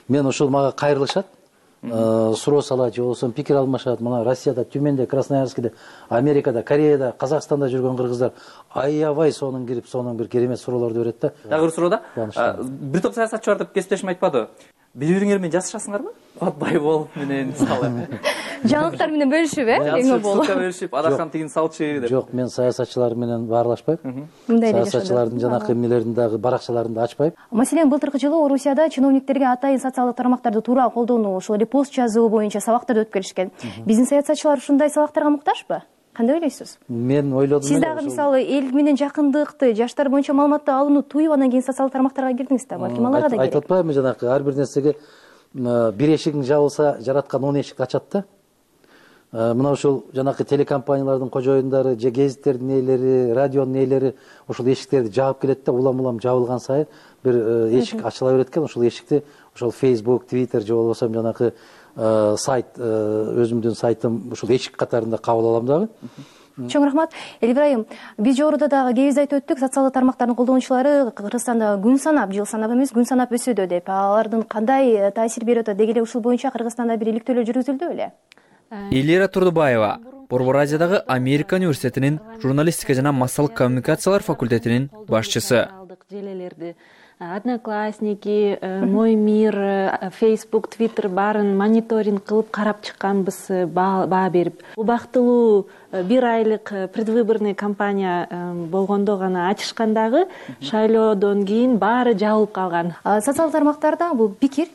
Мен ошол мага кайрылышат, суроо салат, же болбосо пикир алмашат. Мына Россияда, Тюменде, Красноярскиде, Америкада, Кореяда, Казакстанда жүргөн кыргыздар аябай сонун кирип, сонун бир керемет суроолорду берет да. Дагы бир суроодо бир топ саясатчы бар деп кесиптешим айтпады. Бири-бириңер менен жазышасыңарбы? Кубат Байболов менен мисалы. Жаңылыктар менен бөлүшүп, эң болу. Бөлүшүп, Адахан тигин салчы деп. Жок, мен саясатчылар менен баарлашпайм. Саясатчылардын жанакы эмнелерин дагы баракчаларын да ачпайм. Маселен, былтыркы жылы Орусияда чиновниктерге атайын социалдык тармактарды туура колдонуу, ошол репост жазуу боюнча сабактарды өтүп келишкен. Биздин саясатчылар ушундай сабактарга муктажбы? Кандай ойлойсуз? Мен ойлодум. Сиз дагы мисалы эл менен жакындыкты, жаштар боюнча маалыматты алууну туюп, анан кийин социалдык тармактарга кирдиңиз да. Балким аларга да керек. Айтып атпаймынбы жанакы ар бир нерсеге бир эшигиң жабылса, жараткан 10 эшикти ачат да. Мына ушул жанакы телекомпаниялардын кожоюндары, же гезиттердин ээлери, радионун ээлери ошол эшиктерди жаап келет да, улам жабылган сайын бир эшик ачыла берет экен. Ошол эшикти ошол Facebook, Twitter же болбосо жанакы сайт, өзүмдүн сайтым ушул эшик катарында кабыл алам дагы. Чоң рахмат. Элибраим, биз жогоруда дагы кебиз айтып өттүк, социалдык тармактардын колдонуучулары Кыргызстанда күн санап, жыл санап эмес, күн санап өсүүдө деп. Алардын кандай таасир берип атат? Деги эле ушул боюнча Кыргызстанда бир иликтөөлөр жүргүзүлдү беле? Элира Турдубаева, Борбор Азиядагы Америка университетинин журналистика жана массалык коммуникациялар факультетинин башчысы. Одноклассники, Мой мир, Facebook, Twitter баарын мониторинг кылып карап чыкканбыз, баа берип. Убактылуу бир айлык предвыборный кампания болгондо гана ачышкандагы шайлоодон кийин баары жабылып калган. Социалдык тармактарда бул пикир,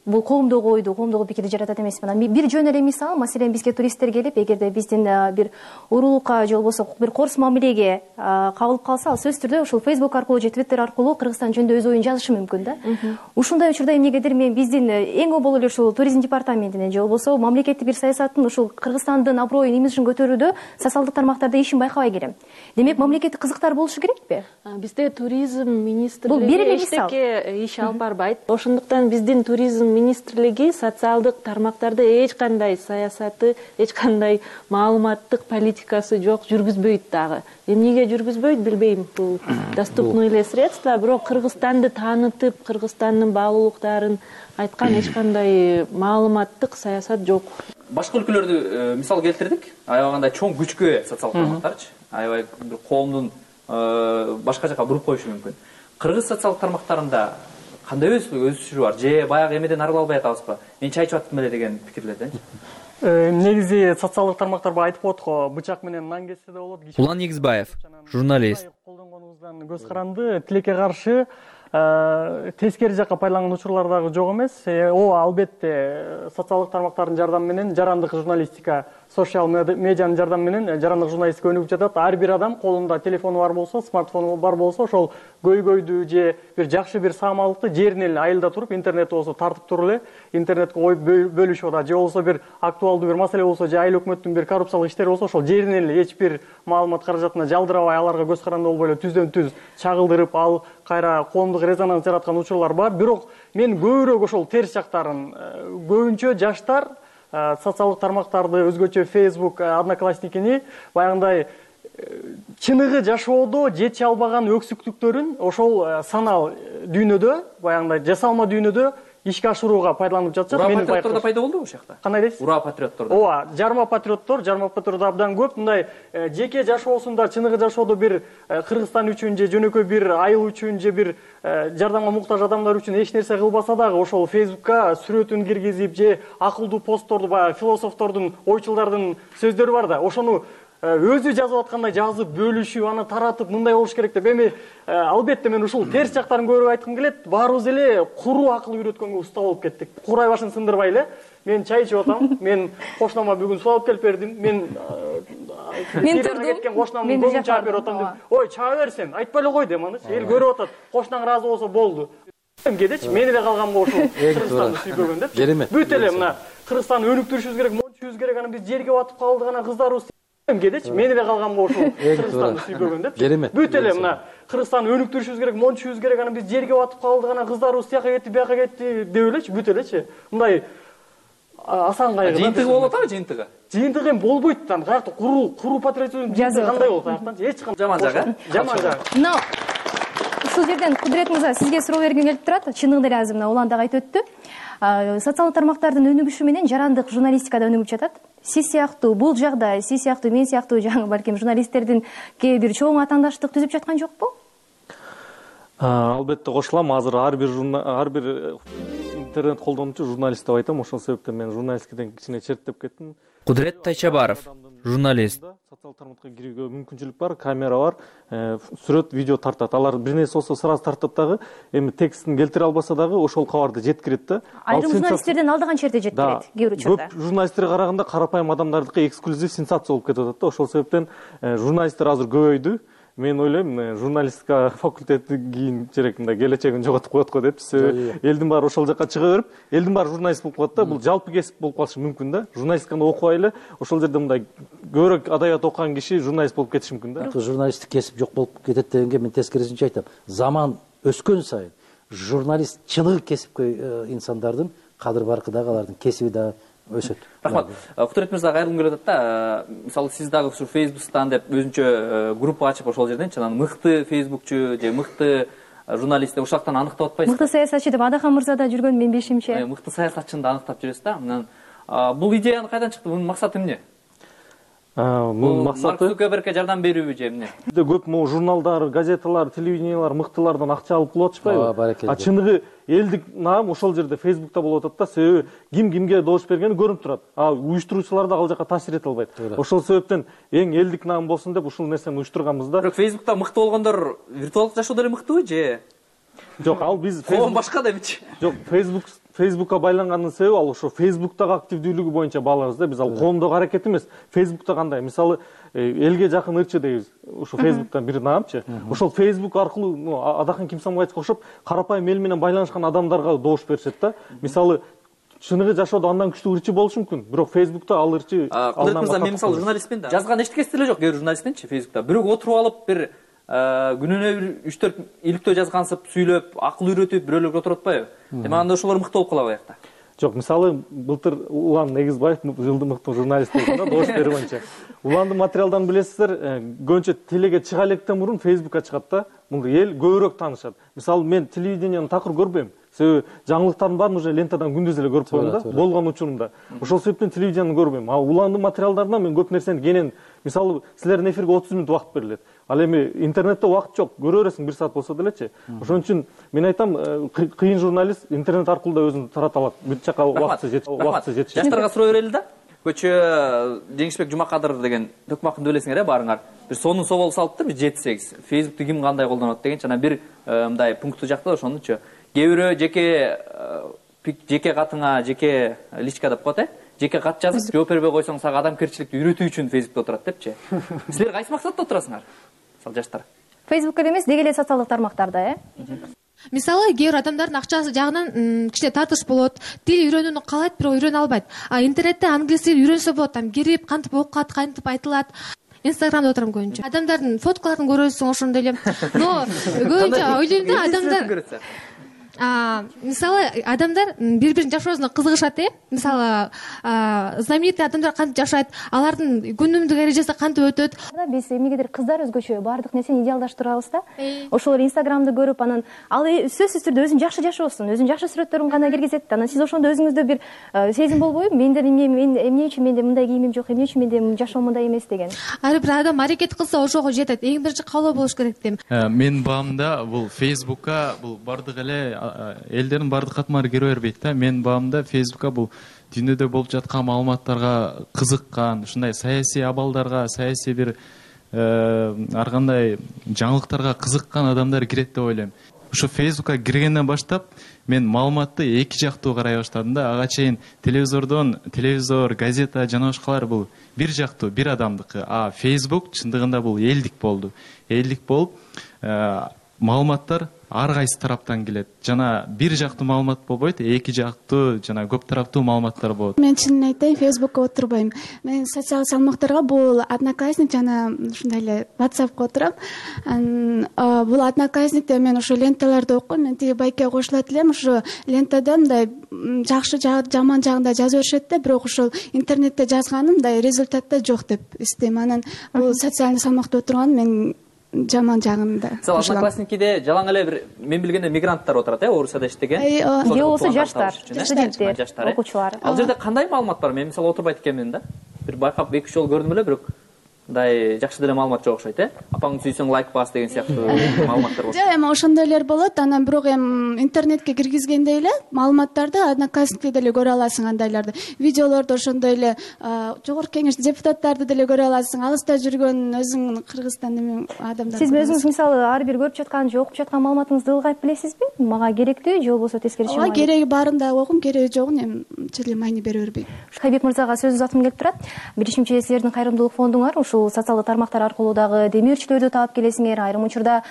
бул коомдогу ойду, коомдогу пикирди жаратат эмеспи? Бир жөн эле мисал, маселен бизге туристтер келип, эгерде биздин бир уруулукка же болбосо бир корс мамилеге кабылып калса, ал сөзсүз түрдө ушул Facebook аркылуу же Twitter аркылуу Кыргызстан жөнүндө өз оюн жазышы мүмкүн да. Ушундай учурда эмнегедир мен биздин эң обол эле ушул туризм департаментинин же болбосо мамлекеттик бир саясаттын ушул Кыргызстандын аброюн, имиджин көтөрүүдө социалдык тармактарда ишин байкабай келем. Демек мамлекеттик кызыктар болушу керекпи? Бизде туризм министрлиги эчтеке иш алып барбайт. Ошондуктан биздин туризм министрлиги социалдык тармактарда эч кандай саясаты, эч кандай маалыматтык политикасы жок, жүргүзбөйт дагы. Эмнеге жүргүзбөйт билбейм. Бул доступный эле средства, бирок Кыргызстанды таанытып, Кыргызстандын баалуулуктарын айткан эч кандай маалыматтык саясат жок. Башка өлкөлөрдү мисал келтирдик. Аябай кандай чоң күчкө ээ социалдык тармактарчы. Аябай бир коомдун башка жака буруп коюшу мүмкүн. Кыргыз социалдык тармактарында кандай өсүшү бар? Же баягы эмеден арыла албай атабызбы? Мен чайчып аттым эле деген пикирлерденчи? Негизи социалдык тармактарга айтып атат го, бычак менен нан кессе да болот. Улан Негизбаев, журналист. Колдонгонубуздан көз каранды, тилекке каршы тескери жакка пайдаланган учурлар дагы жок эмес. Ооба, албетте социалдык тармактардын жардамы менен жарандык журналистика, социал медианын жардамы менен жарандык журналистика өнүгүп жатат. Ар бир адам колунда телефону бар болсо, смартфону бар болсо, ошол көйгөйдү же бир жакшы бир саамалыкты жеринен эле айылда туруп, интернет болсо тартып туруп эле интернетке коюп бөлүшүп атат. Же болсо бир актуалдуу бир маселе болсо, же айыл өкмөттүн бир коррупциялык иштери болсо, ошол жеринен эле эч бир маалымат каражатына жалдырабай, аларга көз каранды болбой эле түздөн түз чагылдырып, ал кайра коомдук резонанс жараткан учурлар бар. Бирок мен көбүрөөк ошол терс жактарын, көбүнчө жаштар социалдык тармактарды, өзгөчө Facebook, Одноклассникини баягындай чыныгы жашоодо жете албаган өксүктүктөрүн ошол санал дүйнөдө, баягындай жасалма дүйнөдө ишке ашырууга пайдаланып жатышат. Ура патриоттор да пайда болду ушул жакта. Кандай дейсиз? Ура патриоттор. Ооба, жарма патриоттор абдан көп. Мындай жеке жашоосунда чыныгы жашоодо бир Кыргызстан үчүн же жөнөкөй бир айыл үчүн же бир жардамга муктаж адамдар үчүн эч нерсе кылбаса дагы ошол Facebook'ка сүрөтүн киргизип же акылдуу постторду, баягы философтордун, ойчулдардын сөздөрү бар да, ошону өзү жазып аткандай жазып, бөлүшүп, аны таратып, мындай болуш керек деп. Эми албетте мен ушул терс жактарын көрүп айткым келет. Баарыбыз эле куру акыл үйрөткөнгө уста болуп кеттик. Курай башын сындырбай эле. Мен чай ичип атам. Мен кошунама бүгүн суу алып келип бердим. Мен турдум. Кеткен кошунамдын көңүн чаап берип атам деп. Ой, чаа берсен, айтпай эле кой деп анычы. Эл көрүп атат. Кошунаң ыраазы болсо болду. Кедечи, мен эле калганмын ушул Кыргызстанды сүйбөгөн деп. Бүт эле мына Кыргызстанды өнүктүрүшүбүз керек, мончубуз керек, анан биз жерге батып калдык, анан кыздарыбыз кедечи, мен эле калганмын ушул Кыргызстанды сүйбөгөн деп. Бүт эле мына Кыргызстанды өнүктүрүшүбүз керек, мончубуз керек, анан биз жерге батып калдык, анан кыздарыбыз тияка кетти, бияка кетти деп элечи, бүт элечи. Мындай асан кайгы. Жыйынтыгы болуп атабы, жыйынтыгы? Жыйынтыгы эми болбойт да. Каякта куру патриотизм кандай болот аяктан? Эч кандай. Жаман жагы. Жаман жагы. Мына ушул жерден Кудрет мырза сизге суроо бергим келип турат. Чыныгы эле азыр мына улан дагы айтып өттү. Социалдык тармактардын өнүгүшү менен жарандык журналистикада өнүгүп жатат. Сиз сыяктуу, бул жагда сиз сыяктуу, мен сыяктуу жаңы балким журналисттердин кээ бир чоң атаандаштык түзүп жаткан жокпу? Албетте кошулам. Азыр ар бир интернет колдонуучу журналист деп айтам. Ошол себептен мен журналистикаден кичине четтеп кеттим. Кудрет Тайчабаров, журналист. Социалдык тармакка кирүүгө мүмкүнчүлүк бар, камера бар, сүрөт, видео тартат. Алар бир нерсе болсо сразу тартат дагы, эми текстин келтире албаса дагы ошол кабарды жеткирет да. Айрым журналисттерден алдыган черде жеткирет кээ бир учурда. Көп журналисттерге караганда карапайым адамдардыкы эксклюзив сенсация болуп кетип атат да. Ошол себептен журналисттер азыр көбөйдү. Мен ойлойм, журналистика факультети кийин керек мындай келечегин жоготуп коет го деп. Элдин баары ошол жака чыга берип, элдин баары журналист болуп калат да. Бул жалпы кесип болуп калышы мүмкүн да. Журналистиканы окубай эле ошол жерде мындай көбүрөөк адабият окуган киши журналист болуп кетиши мүмкүн да. Журналисттик кесип жок болуп кетет дегенге мен тескерисинче айтам. Заман өскөн сайын журналист чыныгы кесипкөй инсандардын кадыр баркы дагы, алардын кесиби дагы өсөт. Рахмат. Кудрет мырза кайрылгым келип атат да. Мисалы сиз дагы ушу Facebook'тан деп өзүнчө группа ачып ошол жерденчи анан мыкты фейсбукчу же мыкты журналист деп ушул жактан аныктап атпайсызбы? Мыкты саясатчы деп Адахан мырза да жүргөн мен бешимче. Мыкты саясатчыны да аныктап жүрөсүз да. Анан бул идеяны кайдан чыкты? Мунун максаты эмне? Мунун максаты Марк Цукербергке жардам берүүбү же эмне? Көп могу журналдар, газеталар, телевидениялар мыктылардан акча алып кылып атышпайбы? Чыныгы элдик наам ошол жерде Facebook'та болуп атат да. Себеби ким кимге добуш бергени көрүнүп турат. Уюштуруучулар да ал жака таасир эте албайт. Ошол себептен эң элдик наам болсун деп ушул нерсени уюштурганбыз да. Бирок Facebook'та мыкты болгондор виртуалдык жашоодо эле мыктыбы же? Жок, ал биз коом башка демичи. Жок, Facebook'ка байланганын себеби ал ошо Facebook'тагы активдүүлүгү боюнча баалабыз да. Биз ал коомдогу аракет эмес. Facebook'та кандай? Мисалы, элге жакын ырчы дейбиз. Ошо Facebook'тан бир наамчы. Ошол Facebook аркылуу Адахан Кимсамбаевичке окшоп карапайым эл менен байланышкан адамдарга добуш беришет да. Мисалы, чыныгы жашоодо андан күчтүү ырчы болушу мүмкүн. Бирок Facebook'та ал ырчы мен мисалы журналистмин да. Жазган эчтекеси деле жок, кээ бир журналистинчи Facebook'та. Бирөө отуруп алып бир күнүнө 3-4 иликтөө жазгансып, сүйлөп, акыл үйрөтүп, бирөөлөргө отуруп атпайбы? Эми анда ошолор мыкты болуп калабы аякта? Жок, мисалы, былтыр Улан Негизбаев жылдын мыкты журналист болду да, добуш берүү боюнча. Уландын материалдарын билесиздер, көбүнчө телеге чыга электен мурун Facebook'ка чыгат да. Мунду эл көбүрөөк таанышат. Мисалы, мен телевидениени такыр көрбөйм. Себеби жаңылыктардын баарын уже лентадан күндүз эле көрүп коем да, болгон учурунда. Ошол себептен телевидениени көрбөйм. А Уландын материалдарынан мен көп нерсени кенен, мисалы, силердин эфирге 30 мүнөт убакыт берилет. Ал эми интернетте убакыт жок, көрө бересиң 1 саат болсо делечи. Ошон үчүн мен айтам, кыйын журналист интернет аркылуу да өзүн тарата алат. Бүт жака убактысы жетишет. Жаштарга суроо берели да. Көчө Жеңишбек Жумакадыров деген төкмакынды билесиңер баарыңар. Бир сонун собол салыптыр, 7-8. Facebook'ты ким кандай колдонот дегенчи, анан бир мындай пункту жакта ошонучу. Кээ бирөө жеке катыңа, жеке личка деп коет, жеке кат жазып, жооп бербей койсоң сага адамгерчиликти үйрөтүү үчүн Facebook'та отурат депчи. Силер кайсы максатта отурасыңар? Мисалы жаштар. Facebook'та эмес, деги эле социалдык тармактарда, Мисалы, кээ бир адамдардын акчасы жагынан кичине тартыш болот, тил үйрөнүүнү каалайт, бирок үйрөнө албайт. А интернетте англис тил үйрөнсө болот, там кирип, кантип окуат, кантип айтылат. Инстаграмда отурам көбүнчө. Адамдардын фоткаларын көрөсүң ошондой эле. Но көбүнчө ойлойм да, адамдар мисалы адамдар бири бирин жашоосуна кызыгышат мисалы знаменитый адамдар кантип жашайт, алардын күнүмдүк эрежеси кантип өтөт. Биз эмнегедир кыздар өзгөчө баардык нерсени идеалдаштырабыз да. Ошолор Инстаграмды көрүп, анан ал сөзсүз түрдө өзүн жакшы жашоосун, өзүнүн жакшы сүрөттөрүн гана киргизет. Анан сиз ошондо өзүңүздө бир сезим болбойбу? Эмне үчүн менде мындай кийимим жок, эмне үчүн менде жашоом мындай эмес деген. Ар бир адам аракет кылса ошого жетет. Эң биринчи каалоо болуш керек дейм. Менин баамда бул Facebook'ка бул бардык эле элдердин бардык катмары кире бербейт да. Менин баамда Facebook'ка бул дүйнөдө болуп жаткан маалыматтарга кызыккан, ушундай саясий абалдарга, саясий бир ар кандай жаңылыктарга кызыккан адамдар кирет деп ойлойм. Ушу Facebook'ка киргенден баштап мен маалыматты эки жактуу карай баштадым да. Ага чейин телевизор, газета жана башкалар бул бир жактуу, бир адамдыкы. А Facebook чындыгында бул элдик болду. Элдик болуп маалыматтар ар кайсы тараптан келет. Жана бир жактуу маалымат болбойт, эки жактуу жана көп тараптуу маалыматтар болот. Мен чынын айтайын, Facebook'ка отурбайм. Мен социалдык салмактарга бул Одноклассник жана ушундай эле WhatsApp'ка отурам. Бул Одноклассникте мен ошо ленталарды окуйм. Мен тиги байке кошулат элем, ошо лентада мындай жакшы жаман жагында жазып беришет да, бирок ошол интернетте жазганым мындай результатта жок деп эстейм. Анан бул социалдык салмакта отурган мен жаман жагында. Мисалы Одноклассникиде жалаң эле бир мен билгенде мигранттар отурат, Орусияда иштеген. Же болбосо жаштар, студенттер, окуучулар. Ал жерде кандай маалымат бар? Мен мисалы отурбайт экенмин да. Бир байкап 2-3 жолу көрдүм эле, бирок мындай жакшы деле маалымат жок окшойт, Апаңды сүйсөң лайк бас деген сыяктуу маалыматтар болот. Жок, эми ошондойлор болот. Анан бирок интернетке киргизгенде эле маалыматтарды Одноклассникте деле көрө аласың, андайларды. Видеолорду ошондой эле жогорку кеңеш депутаттарды деле көрө аласың. Алыста жүргөн өзүң Кыргызстандын адамдарды. Сиз өзүңүз мисалы ар бир көрүп жаткан же окуп жаткан маалыматыңызды ылгайып билесизби? Мага керектүү же болбосо тескерисинче? Ооба, кереги баарын да окуйм, кереги жогун эми чили майни бере бербейм. Хайбек мырзага сөз узаткым келип турат. Биринчи силердин кайрымдуулук фондуңар ушул социалдык тармактар аркылуу дагы демирчилерди таап келесиңер. Айрым учурда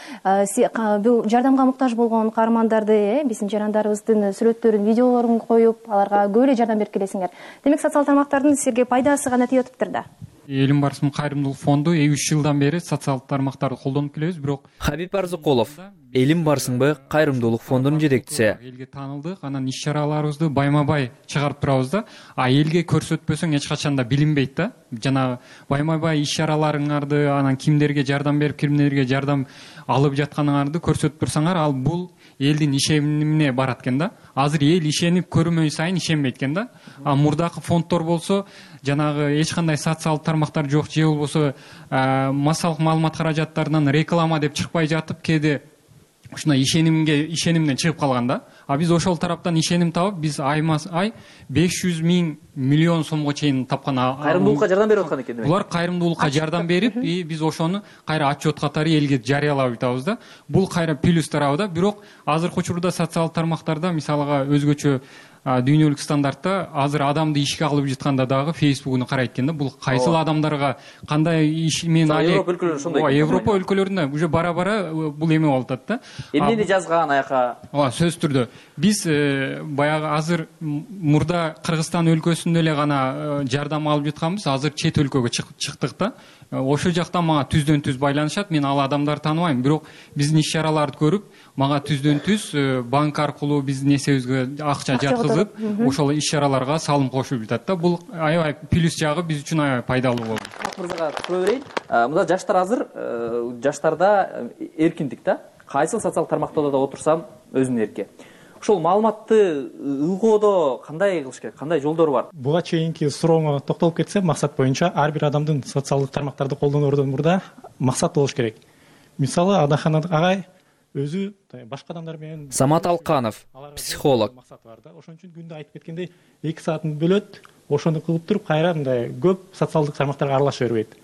бул жардамга муктаж болгон каармандарды, биздин жарандарыбыздын сүрөттөрүн, видеолорун коюп, аларга көп эле жардам берип келесиңер. Демек социалдык тармактардын силерге пайдасы гана тийип атыптыр да. Элим барысынын кайрымдуулук фонду 3 жылдан бери социалдык тармактарды колдонуп келебиз, бирок Хабиб Арзыкулов, Элим барысыңбы кайрымдуулук фондунун жетекчиси. Элге таанылдык, анан иш-чараларыбызды байма-бай чыгарып турабыз да. А элге көрсөтпөсөң эч качан да билинбейт да. Жана байма-бай иш-чараларыңарды, анан кимдерге жардам берип, кимдерге жардам алып жатканыңарды көрсөтүп турсаңар, ал бул элдин ишенимине барат экен да. Азыр эл ишенип көрмөй сайын ишенбейт экен да. А мурдакы фонддор болсо жанагы эч кандай социалдык тармактар жок, же болбосо массалык маалымат каражаттарынан реклама деп чыкпай жатып, кээде ушундай ишенимден чыгып калган да. А биз ошол тараптан ишеним табып, биз ай 500 миллион сомго чейин тапкан. Кайрымдуулукка жардам берип аткан экен. Булар кайрымдуулукка жардам берип, биз ошону кайра отчет катары элге жарыялап атабыз да. Бул кайра плюс тарабы да. Бирок азыркы учурда социалдык тармактарда мисалга өзгөчө дүйнөлүк стандартта азыр адамды ишке алып жатканда дагы Facebook'уну карайт экен да. Бул кайсыл адамдарга кандай иш менен Европа өлкөлөрүндө ошондой. Европа өлкөлөрүндө уже бара-бара бул эме болуп атат да. Эмнени жазган аяка? Ооба, сөзсүз түрдө. Биз баягы азыр мурда Кыргызстан өлкөсүндө эле гана жардам алып жатканбыз, азыр чет өлкөгө чыктык да. Ошол жактан мага түздөн түз байланышат. Мен ал адамдарды тааныбайм, бирок биздин иш-чараларды көрүп, мага түздөн түз банк аркылуу биздин эсебибизге акча жаткызып, ошол иш-чараларга салым кошуп жатат да. Бул аябай плюс жагы биз үчүн аябай пайдалуу болду. Мырзага суроо берейин. Мында жаштар азыр жаштарда эркиндик да. Кайсыл социалдык тармактарда да отурсам өзүнүн эрки. Ошол маалыматты ылгоодо кандай кылыш керек, кандай жолдор бар? Буга чейинки сурооңо токтолуп кетсем, максат боюнча ар бир адамдын социалдык тармактарды колдоноордон мурда максат болуш керек. Мисалы, Адахан агай өзү башка адамдар менен. Самат Алканов, психолог. Максаты бар да. Ошон үчүн күндө айтып кеткендей 2 саатын бөлөт, ошону кылып туруп кайра мындай көп социалдык тармактарга аралаша бербейт.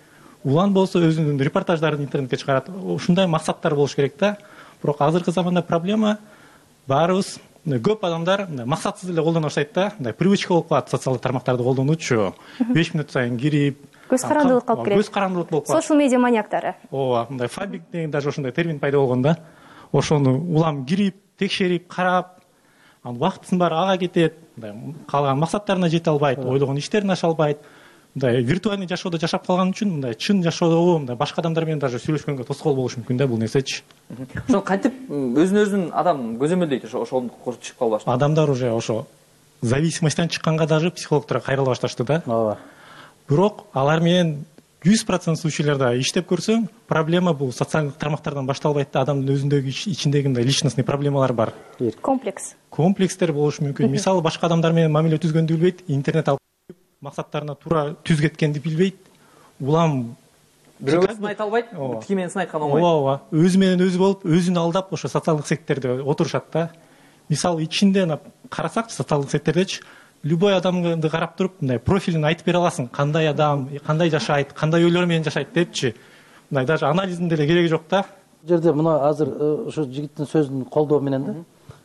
Улан болсо өзүнүн репортаждарын интернетке чыгарат. Ушундай максаттар болуш керек да. Бирок азыркы заманда проблема баарыбыз көп адамдар максатсыз эле колдоно баштайт да. Мындай привычка болуп калат социалдык тармактарды колдонуучу. 5 мүнөт сайын кирип, көз карандылык калып келет. Көз карандылык болуп калат. Social media маньяктары. Ооба, мындай фабик деген даже ошондой термин пайда болгон да. Ошону улам кирип, текшерип, карап, анан убактысынын баары ага кетет. Калган максаттарына жете албайт, ойлогон иштерин аша албайт. мындай виртуальный жашоодо жашап калган үчүн мындай чын жашоодо мындай башка адамдар менен даже сүйлөшкөнгө тоскоол болушу мүмкүн да бул нерсечи. Ошол кантип өзүн адам көзөмөлдөйт ошондук чыгып калбаш. Адамдар уже ошо зависимостьтан чыкканга даже психологдорго кайрыла башташты да. Ооба. Бирок алар менен 100% случайларда иштеп көрсөң, проблема бул социалдык тармактардан башталбайт да, адамдын өзүндөгү ичиндеги мындай личностный проблемалар бар. Комплекстер болушу мүмкүн. Мисалы башка адамдар менен мамиле түзгөндү билбейт, интернет алып максаттарына туура түз кеткенди билбейт. Улам бирөөгө сынайт албайт, тики менен сынайткан оңой. Ооба, өзү менен өзү болуп, өзүн алдап ошо социалдык сеттерде отурушат да. Мисалы ичинде карасакчы социалдык сеттердечи любой адамды карап туруп, мындай профилин айтып бере аласың, кандай адам, кандай жашайт, кандай ойлор менен жашайт депчи. Мындай даже анализдин деле кереги жок да. Бул жерде мына азыр ушу жигиттин сөзүн колдоо менен да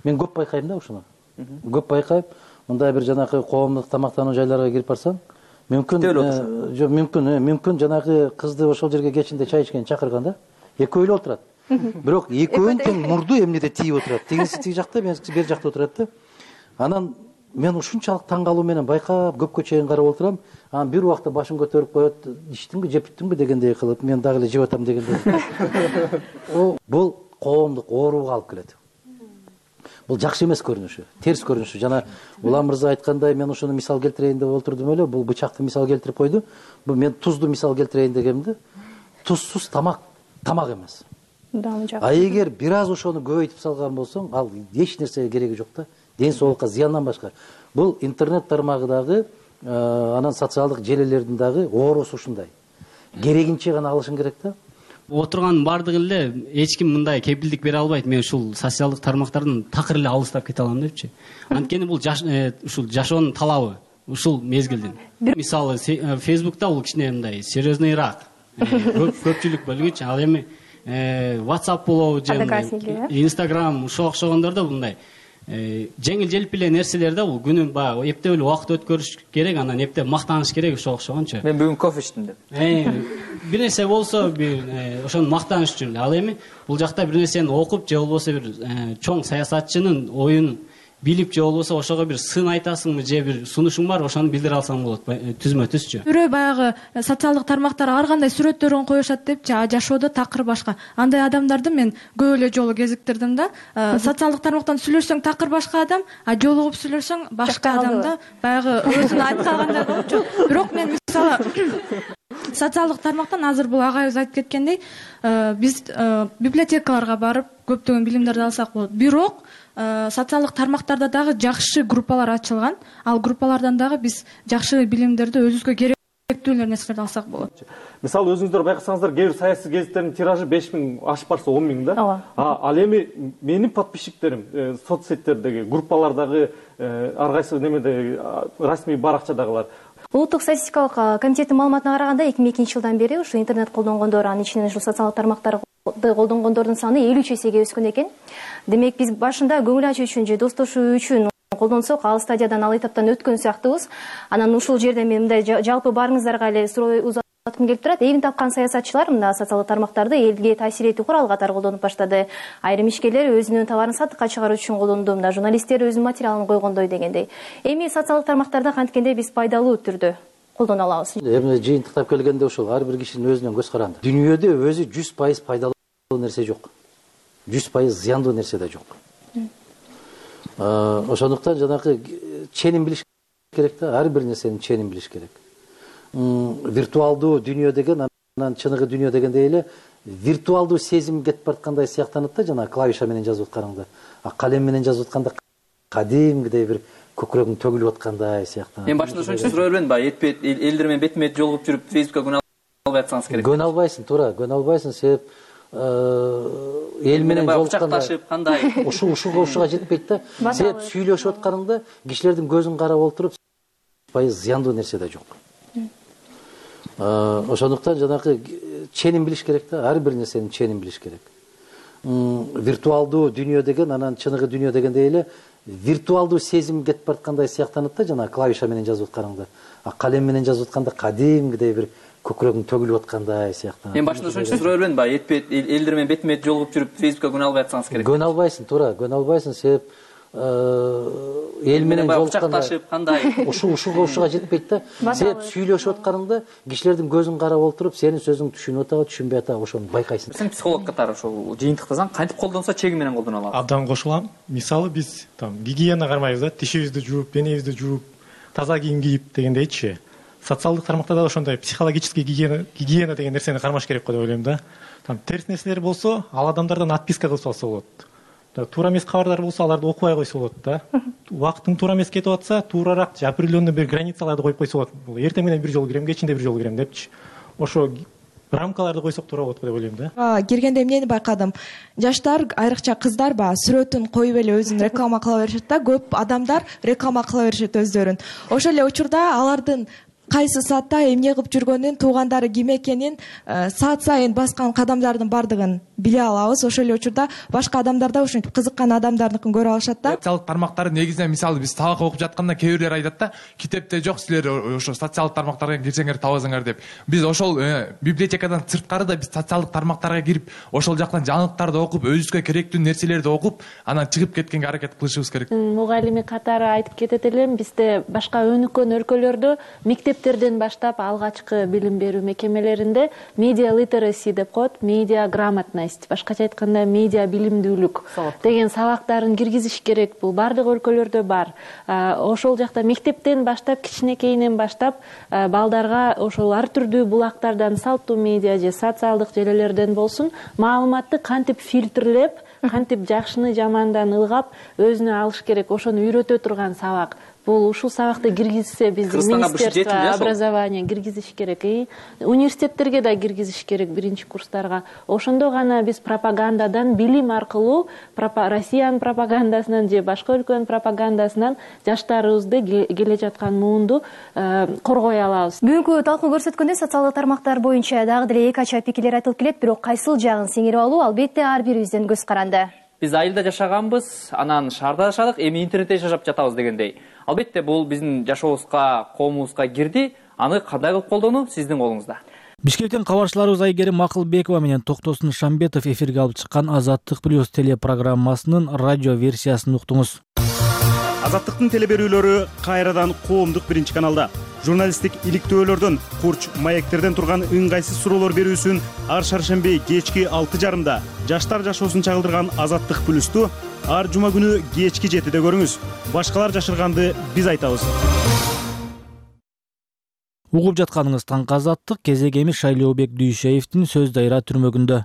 мен көп байкайм да ушуну. Көп байкайм. Мындай бир жанагы коомдук тамактануу жайларга кирип барсаң, мүмкүн жанагы кызды ошол жерге кечинде чай ичкенге чакырган да. Экөө эле отурат. Бирок экөөнүн тең мурду эмнеде тийип отурат. Тигинси тиги жакта, меники бери жакта отурат да. Анан мен ушунчалык таң калуу менен байкап көпкө чейин карап отурам. Анан бир убакта башын көтөрүп коет, ичтиңби, жептиңби дегендей кылып, мен дагы эле жеп атам дегендей. Бул коомдук ооруга алып келет. Бул жакшы эмес көрүнүшү, терс көрүнүшү. Жана Улам мырза айткандай, мен ушуну мисал келтирейин деп отурдум эле. Бул бычакты мисал келтирип койду. Бул мен тузду мисал келтирейин дегемди. Тузсуз тамак эмес. А эгер бир аз ошону көбөйтүп салган болсоң, ал эч нерсеге кереги жок да. Ден соолукка зыяндан башка. Бул интернет тармагы дагы, анан социалдык желелердин дагы оорусу ушундай. Керегинче гана алышың керек да. Отурган бардыгы эле эч ким мындай кепилдик бере албайт. Мен ушул социалдык тармактардан такыр эле алыстап кете алам депчи. Анткени бул ушул жашоонун талабы, ушул мезгилдин. Мисалы Facebook'та бул кичине мындай серьезныйраак. Көпчүлүк бөлгүчү. Ал эми WhatsApp болобу же Instagram ушуга окшогондордо мындай жеңил желп эле нерселер да, бул күнүн баягы эптеп эле убакыт өткөрүш керек, анан эптеп мактаныш керек ошого окшогончу. Мен бүгүн кофе иштим деп. Бир нерсе болсо бир ошону мактаныш үчүн. Ал эми бул жакта бир нерсени окуп же болбосо бир чоң саясатчынын оюн билип же болбосо ошого бир сын айтасыңбы же бир сунушуң бар, ошону билдире алсаң болот, түзмө түзчү. Бирөө баягы социалдык тармактар ар кандай сүрөттөрүн коюшат депчи, жашоодо такыр башка. Андай адамдарды мен көп эле жолу кезиктирдим да. Социалдык тармактан сүйлөшсөң такыр башка адам, жолугуп сүйлөшсөң башка адам да. Баягы өзүн айтып калгандай болчу. Бирок мен мисалы социалдык тармактан азыр бул агайыбыз айтып кеткендей, биз библиотекаларга барып көптөгөн билимдерди алсак болот. Бирок социалдык тармактарда дагы жакшы группалар ачылган. Ал группалардан дагы биз жакшы билимдерди өзүбүзгө керектүү нерселерди алсак болот. Мисалы өзүңүздөр байкасаңыздар, кээ бир саясий гезиттердин тиражы 5000 ашып барса 10 000 да. Ал эми менин подписчиктерим соцсеттердеги, группалардагы ар кайсы немеде расмий баракчадагылар. Улуттук статистикалык комитеттин маалыматына караганда 2002 жылдан бери ушу интернет колдонгондор, анын ичинен ушу социалдык тармактарды колдонгондордун саны 53 эсеге өскөн экен. Демек биз башында көңүл ачуу үчүн же достошуу үчүн колдонсок, ал стадиядан, ал этаптан өткөн сыяктуубуз. Анан ушул жерде мен мындай жалпы баарыңыздарга эле суроо узаткым келип турат. Эбин тапкан саясатчылар мына социалдык тармактарды элге таасир этүү куралы катары колдонуп баштады. Айрым ишкерлер өзүнүн товарын сатыкка чыгаруу үчүн колдонду, мына журналисттер өзүнүн материалын койгондой дегендей. Эми социалдык тармактарды канткенде биз пайдалуу түрдө колдоно алабыз. Эмне жыйынтыктап келгенде ушул ар бир кишинин өзүнүн көз каранды. Дүйнөдө өзү 100% пайдалуу нерсе жок. 100% зыяндуу нерсе да жок. Ошондуктан жанагы ченин билиш керек да, ар бир нерсенин ченин билиш керек. Виртуалдуу дүйнө деген, анан чыныгы дүйнө дегендей эле виртуалдуу сезим кетип бараткандай сыяктанат да, жана клавиша менен жазып атканыңда. Калем менен жазып атканда кадимгидей бир көкүрөгүң төгүлүп аткандай сыяктанат. Мен башында ошон үчүн суроо бербедим ба, элдер менен бетме бет жолугуп жүрүп Facebook'ка күнөө албай атсаңыз керек. Күнөө албайсың, туура, күнөө албайсың, себеп эл менен жолукканда кандай ушуга жетпейт да. Себеп сүйлөшүп атканыңда кишилердин көзүн карап отуруп зыяндуу нерсе да жок. Ошондуктан жанагы ченин билиш керек да, ар бир нерсенин ченин билиш керек. Виртуалдуу дүйнө деген, анан чыныгы дүйнө дегендей эле виртуалдуу сезим кетип бараткандай сыяктанат да, жана клавиша менен жазып атканыңда. Калем менен жазып атканда кадимгидей бир көкүрөгүң төгүлүп аткандай сыяктанат. Мен башында ошон үчүн суроо бербедим ба, элдер менен бетме бет жолугуп жүрүп Facebook'ка күнөө албай атсаңыз керек. Күнөө албайсың, туура, күнөө албайсың, себеп эл менен кучакташып кандай ушуга жетпейт да. Сен сүйлөшүп атканыңда кишилердин көзүн карап отуруп, сенин сөзүңдү түшүнүп атабы, түшүнбөй атабы ошону байкайсың. Сен психолог катары ошол жыйынтыктасаң кантип колдонсо чеги менен колдоно алат? Абдан кошулам. Мисалы биз гигиена кармайбыз да, тишибизди жууп, денебизди жууп, таза кийим кийип дегендейчи. Социалдык тармактарда ошондой психологический гигиена деген нерсени кармаш керек го деп ойлойм да. Терс нерселер болсо, ал адамдардан отписка кылып салса болот. Туура эмес кабардар болсо, аларды окубай койсо болот да. Убакыттын туура эмес кетип атса, туурарак определенный бир границаларды коюп койсо болот. Эртең менен бир жолу кирем, кечинде бир жолу кирем депчи. Ошо рамкаларды койсок туура болот го деп ойлойм да. Киргенде эмнени байкадым? Жаштар, айрыкча кыздар сүрөтүн коюп эле өзүн реклама кыла беришет да. Көп адамдар реклама кыла беришет өздөрүн. Ошол эле учурда алардын кайсы саатта эмне кылып жүргөнүн, туугандары ким экенин, саат сайын баскан кадамдардын бардыгын биле алабыз. Ошол эле учурда башка адамдар да ушинтип кызыккан адамдардыкын көрө алышат да. Социалдык тармактар негизинен мисалы биз сабак окуп жатканда кээ бирлер айтат да, китепте жок, силер ошо социалдык тармактарга кирсеңер табасыңар деп. Биз ошол библиотекадан сырткары да биз социалдык тармактарга кирип, ошол жактан жаңылыктарды окуп, өзүбүзгө керектүү нерселерди окуп, анан чыгып кеткенге аракет кылышыбыз керек. Мугалими катары айтып кетет элем, бизде башка өнүккөн өлкөлөрдө мектептерден баштап алгачкы билим берүү мекемелеринде медиа литераси деп коет, медиа грамотность, башкача айтканда медиа билимдүүлүк деген сабактарын киргизиш керек. Бул бардык өлкөлөрдө бар. Ошол жакта мектептен баштап, кичинекейинен баштап балдарга ошол ар түрдүү булактардан, салттуу медиа же социалдык желелерден болсун, маалыматты кантип фильтрлеп, кантип жакшыны жамандан ылгап өзүнө алыш керек, ошону үйрөтө турган сабак. Бул ушул сабакты киргизсе, биздин министерство образования киргизиш керек, университеттерге да киргизиш керек биринчи курстарга. Ошондо гана биз пропагандадан, билим аркылуу Россиянын пропагандасынан же башка өлкөнүн пропагандасынан жаштарыбызды келе жаткан муунду коргой алабыз. Бүгүнкү талкуу көрсөткөндөй, социалдык тармактар боюнча дагы деле эки ача пикирлер айтылып келет, бирок кайсыл жагын сиңирип алуу албетте ар бирибиздин көз каранды. Биз айылда жашаганбыз, анан шаарда жашадык, эми интернетте жашап жатабыз дегендей. Албетте бул биздин жашообузга, коомубузга кирди. Аны кандай кылып колдонуу сиздин колуңузда. Бишкектен кабарчыларыбыз Айгерим Акылбекова менен Токтосун Шамбетов эфирге алып чыккан Азаттык плюс телепрограммасынын радио версиясын уктуңуз. Азаттыктын телеберүүлөрү кайрадан коомдук биринчи каналда. Журналисттик иликтөөлөрдөн, курч маектерден турган ыңгайсыз суроолор берүүсүн ар шаршемби кечки 6:30 жаштар жашоосун чагылдырган Азаттык плюсту ар жума күнү кечки 7-де көрүңүз. Башкалар жашырганды биз айтабыз. Угуп жатканыңыз таңкы Азаттык, кезегеми Шайлообек Дүйшеевдин сөз дайра түрмөгүндө.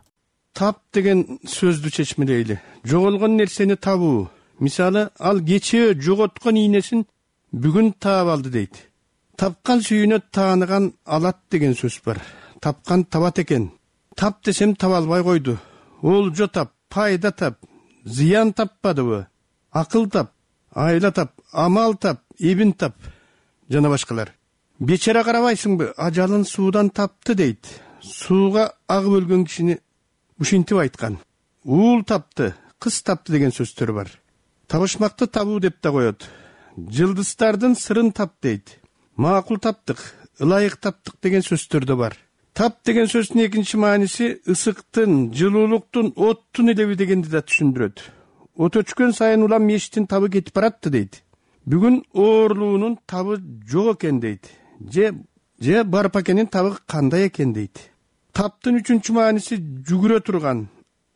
Тап деген сөздү чечмелейли. Жоголгон нерсени табуу. Мисалы, ал кечээ жоготкон ийнесин бүгүн таап алды дейт. Тапкан сүйүнө тааныган алат деген сөз бар. Тапкан табат экен. Тап десем таба албай койду. Олжо тап, пайда тап, зыян таппадыбы? Акыл тап, айла тап, амал тап, эбин тап жана башкалар. Бечара карабайсыңбы, ажалын суудан тапты дейт. Сууга агып өлгөн кишини ушинтип айткан. Уул тапты, кыз тапты деген сөздөр бар. Табышмакты табуу деп да коет. Жылдыздардын сырын тап дейт. Макул таптык, ылайык таптык деген сөздөр да бар. Тап деген сөздүн экинчи мааниси ысыктын, жылуулуктун, оттун элеби дегенди да түшүндүрөт. От өчкөн сайын улам мештин табы кетип баратты дейт. Бүгүн оорулуунун табы жок экен дейт. Же барып экенин табы кандай экен дейт. Таптын үчүнчү мааниси жүгүрө турган,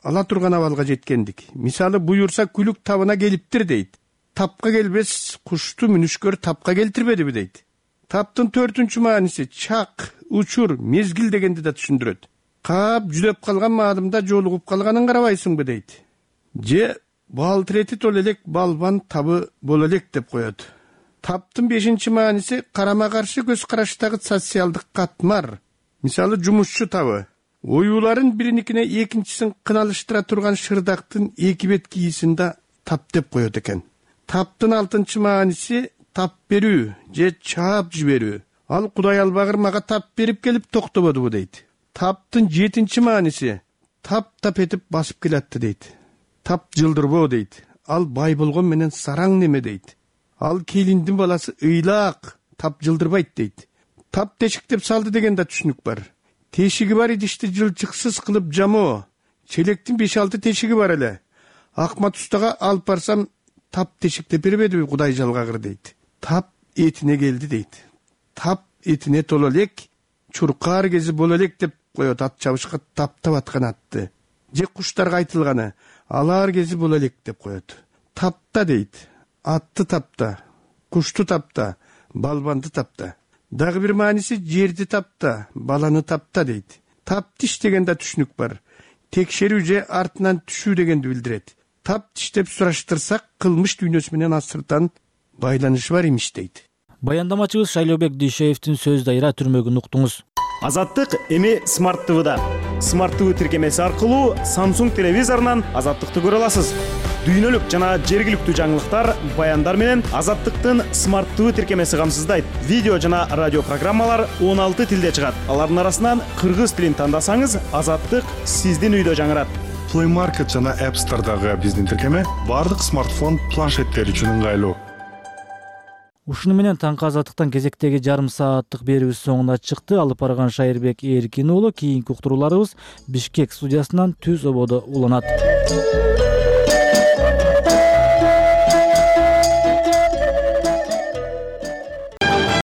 ала турган абалга жеткендик. Мисалы, буюрса күлүк табына келиптир дейт. Тапка келбес кушту мүнүшкөр тапка келтирбедиби дейт. Таптын 4-үнчү мааниси чак, учур, мезгил дегенди да түшүндүрөт. Каап жүдөп калган маалымда жолугуп калганын карабайсыңбы дейт. Же балтырети тол элек балбан табы боло элек деп коет. Таптын 5-инчи мааниси карама каршы көз караштагы социалдык катмар. Мисалы, жумушчу табы. Оюуларын бириникине экинчисин кыналыштыра турган шырдактын эки бет кийисин да тап деп коет экен. Таптын 6-нчы мааниси тап берүү же чаап жиберүү. Ал Кудай албагыр мага тап берип келип токтободубу дейт. Таптын 7-нчи мааниси тап этип басып келатты дейт. Тап жылдырбоо дейт. Ал бай болгон менен сараң неме дейт. Ал келиндин баласы ыйлаак, тап жылдырбайт дейт. Тап тешиктеп салды деген да түшүнүк бар. Тешиги бар идишти жылчыксыз кылып жамоо. Челектин 5-6 тешиги бар эле. Акмат устага алып барсам тап тешектеп бербедиби Кудай жалгагыр дейт. Тап этине келди дейт. Тап этине толо элек, чуркаар кези боло элек деп коет ат чабышка таптап аткан атты. Же куштарга айтылганы алар кези боло элек деп коет. Тапта дейт. Атты тапта, кушту тапта, балбанды тапта. Дагы бир мааниси жерди тапта, баланы тапта дейт. Таптиш деген да түшүнүк бар. Текшерүү же артынан түшүү дегенди билдирет. Таптиш деп сураштырсак, кылмыш дүйнөсү менен асыртан байланышы бар имиш дейт. Баяндамачыбыз Шайлообек Дүйшеевдин сөз дайра түрмөгүн уктуңуз. Азаттык эми Smart TV'да. Smart TV тиркемеси аркылуу Samsung телевизорунан Азаттыкты көрө аласыз. Дүйнөлүк жана жергиликтүү жаңылыктар, баяндар менен Азаттыктын Smart TV тиркемеси камсыздайт. Видео жана радио программалар 16 тилде чыгат. Алардын арасынан кыргыз тилин тандасаңыз, Азаттык сиздин үйдө жаңырат. Play Market жана App Store'дагы биздин тиркеме бардык смартфон, планшеттер үчүн ыңгайлуу. Ушуну менен таңкы Азаттыктан кезектеги жарым сааттык берүүбүз соңуна чыкты. Алып барган Шайырбек Эркин уулу. Кийинки уктурууларыбыз Бишкек студиясынан түз ободо уланат.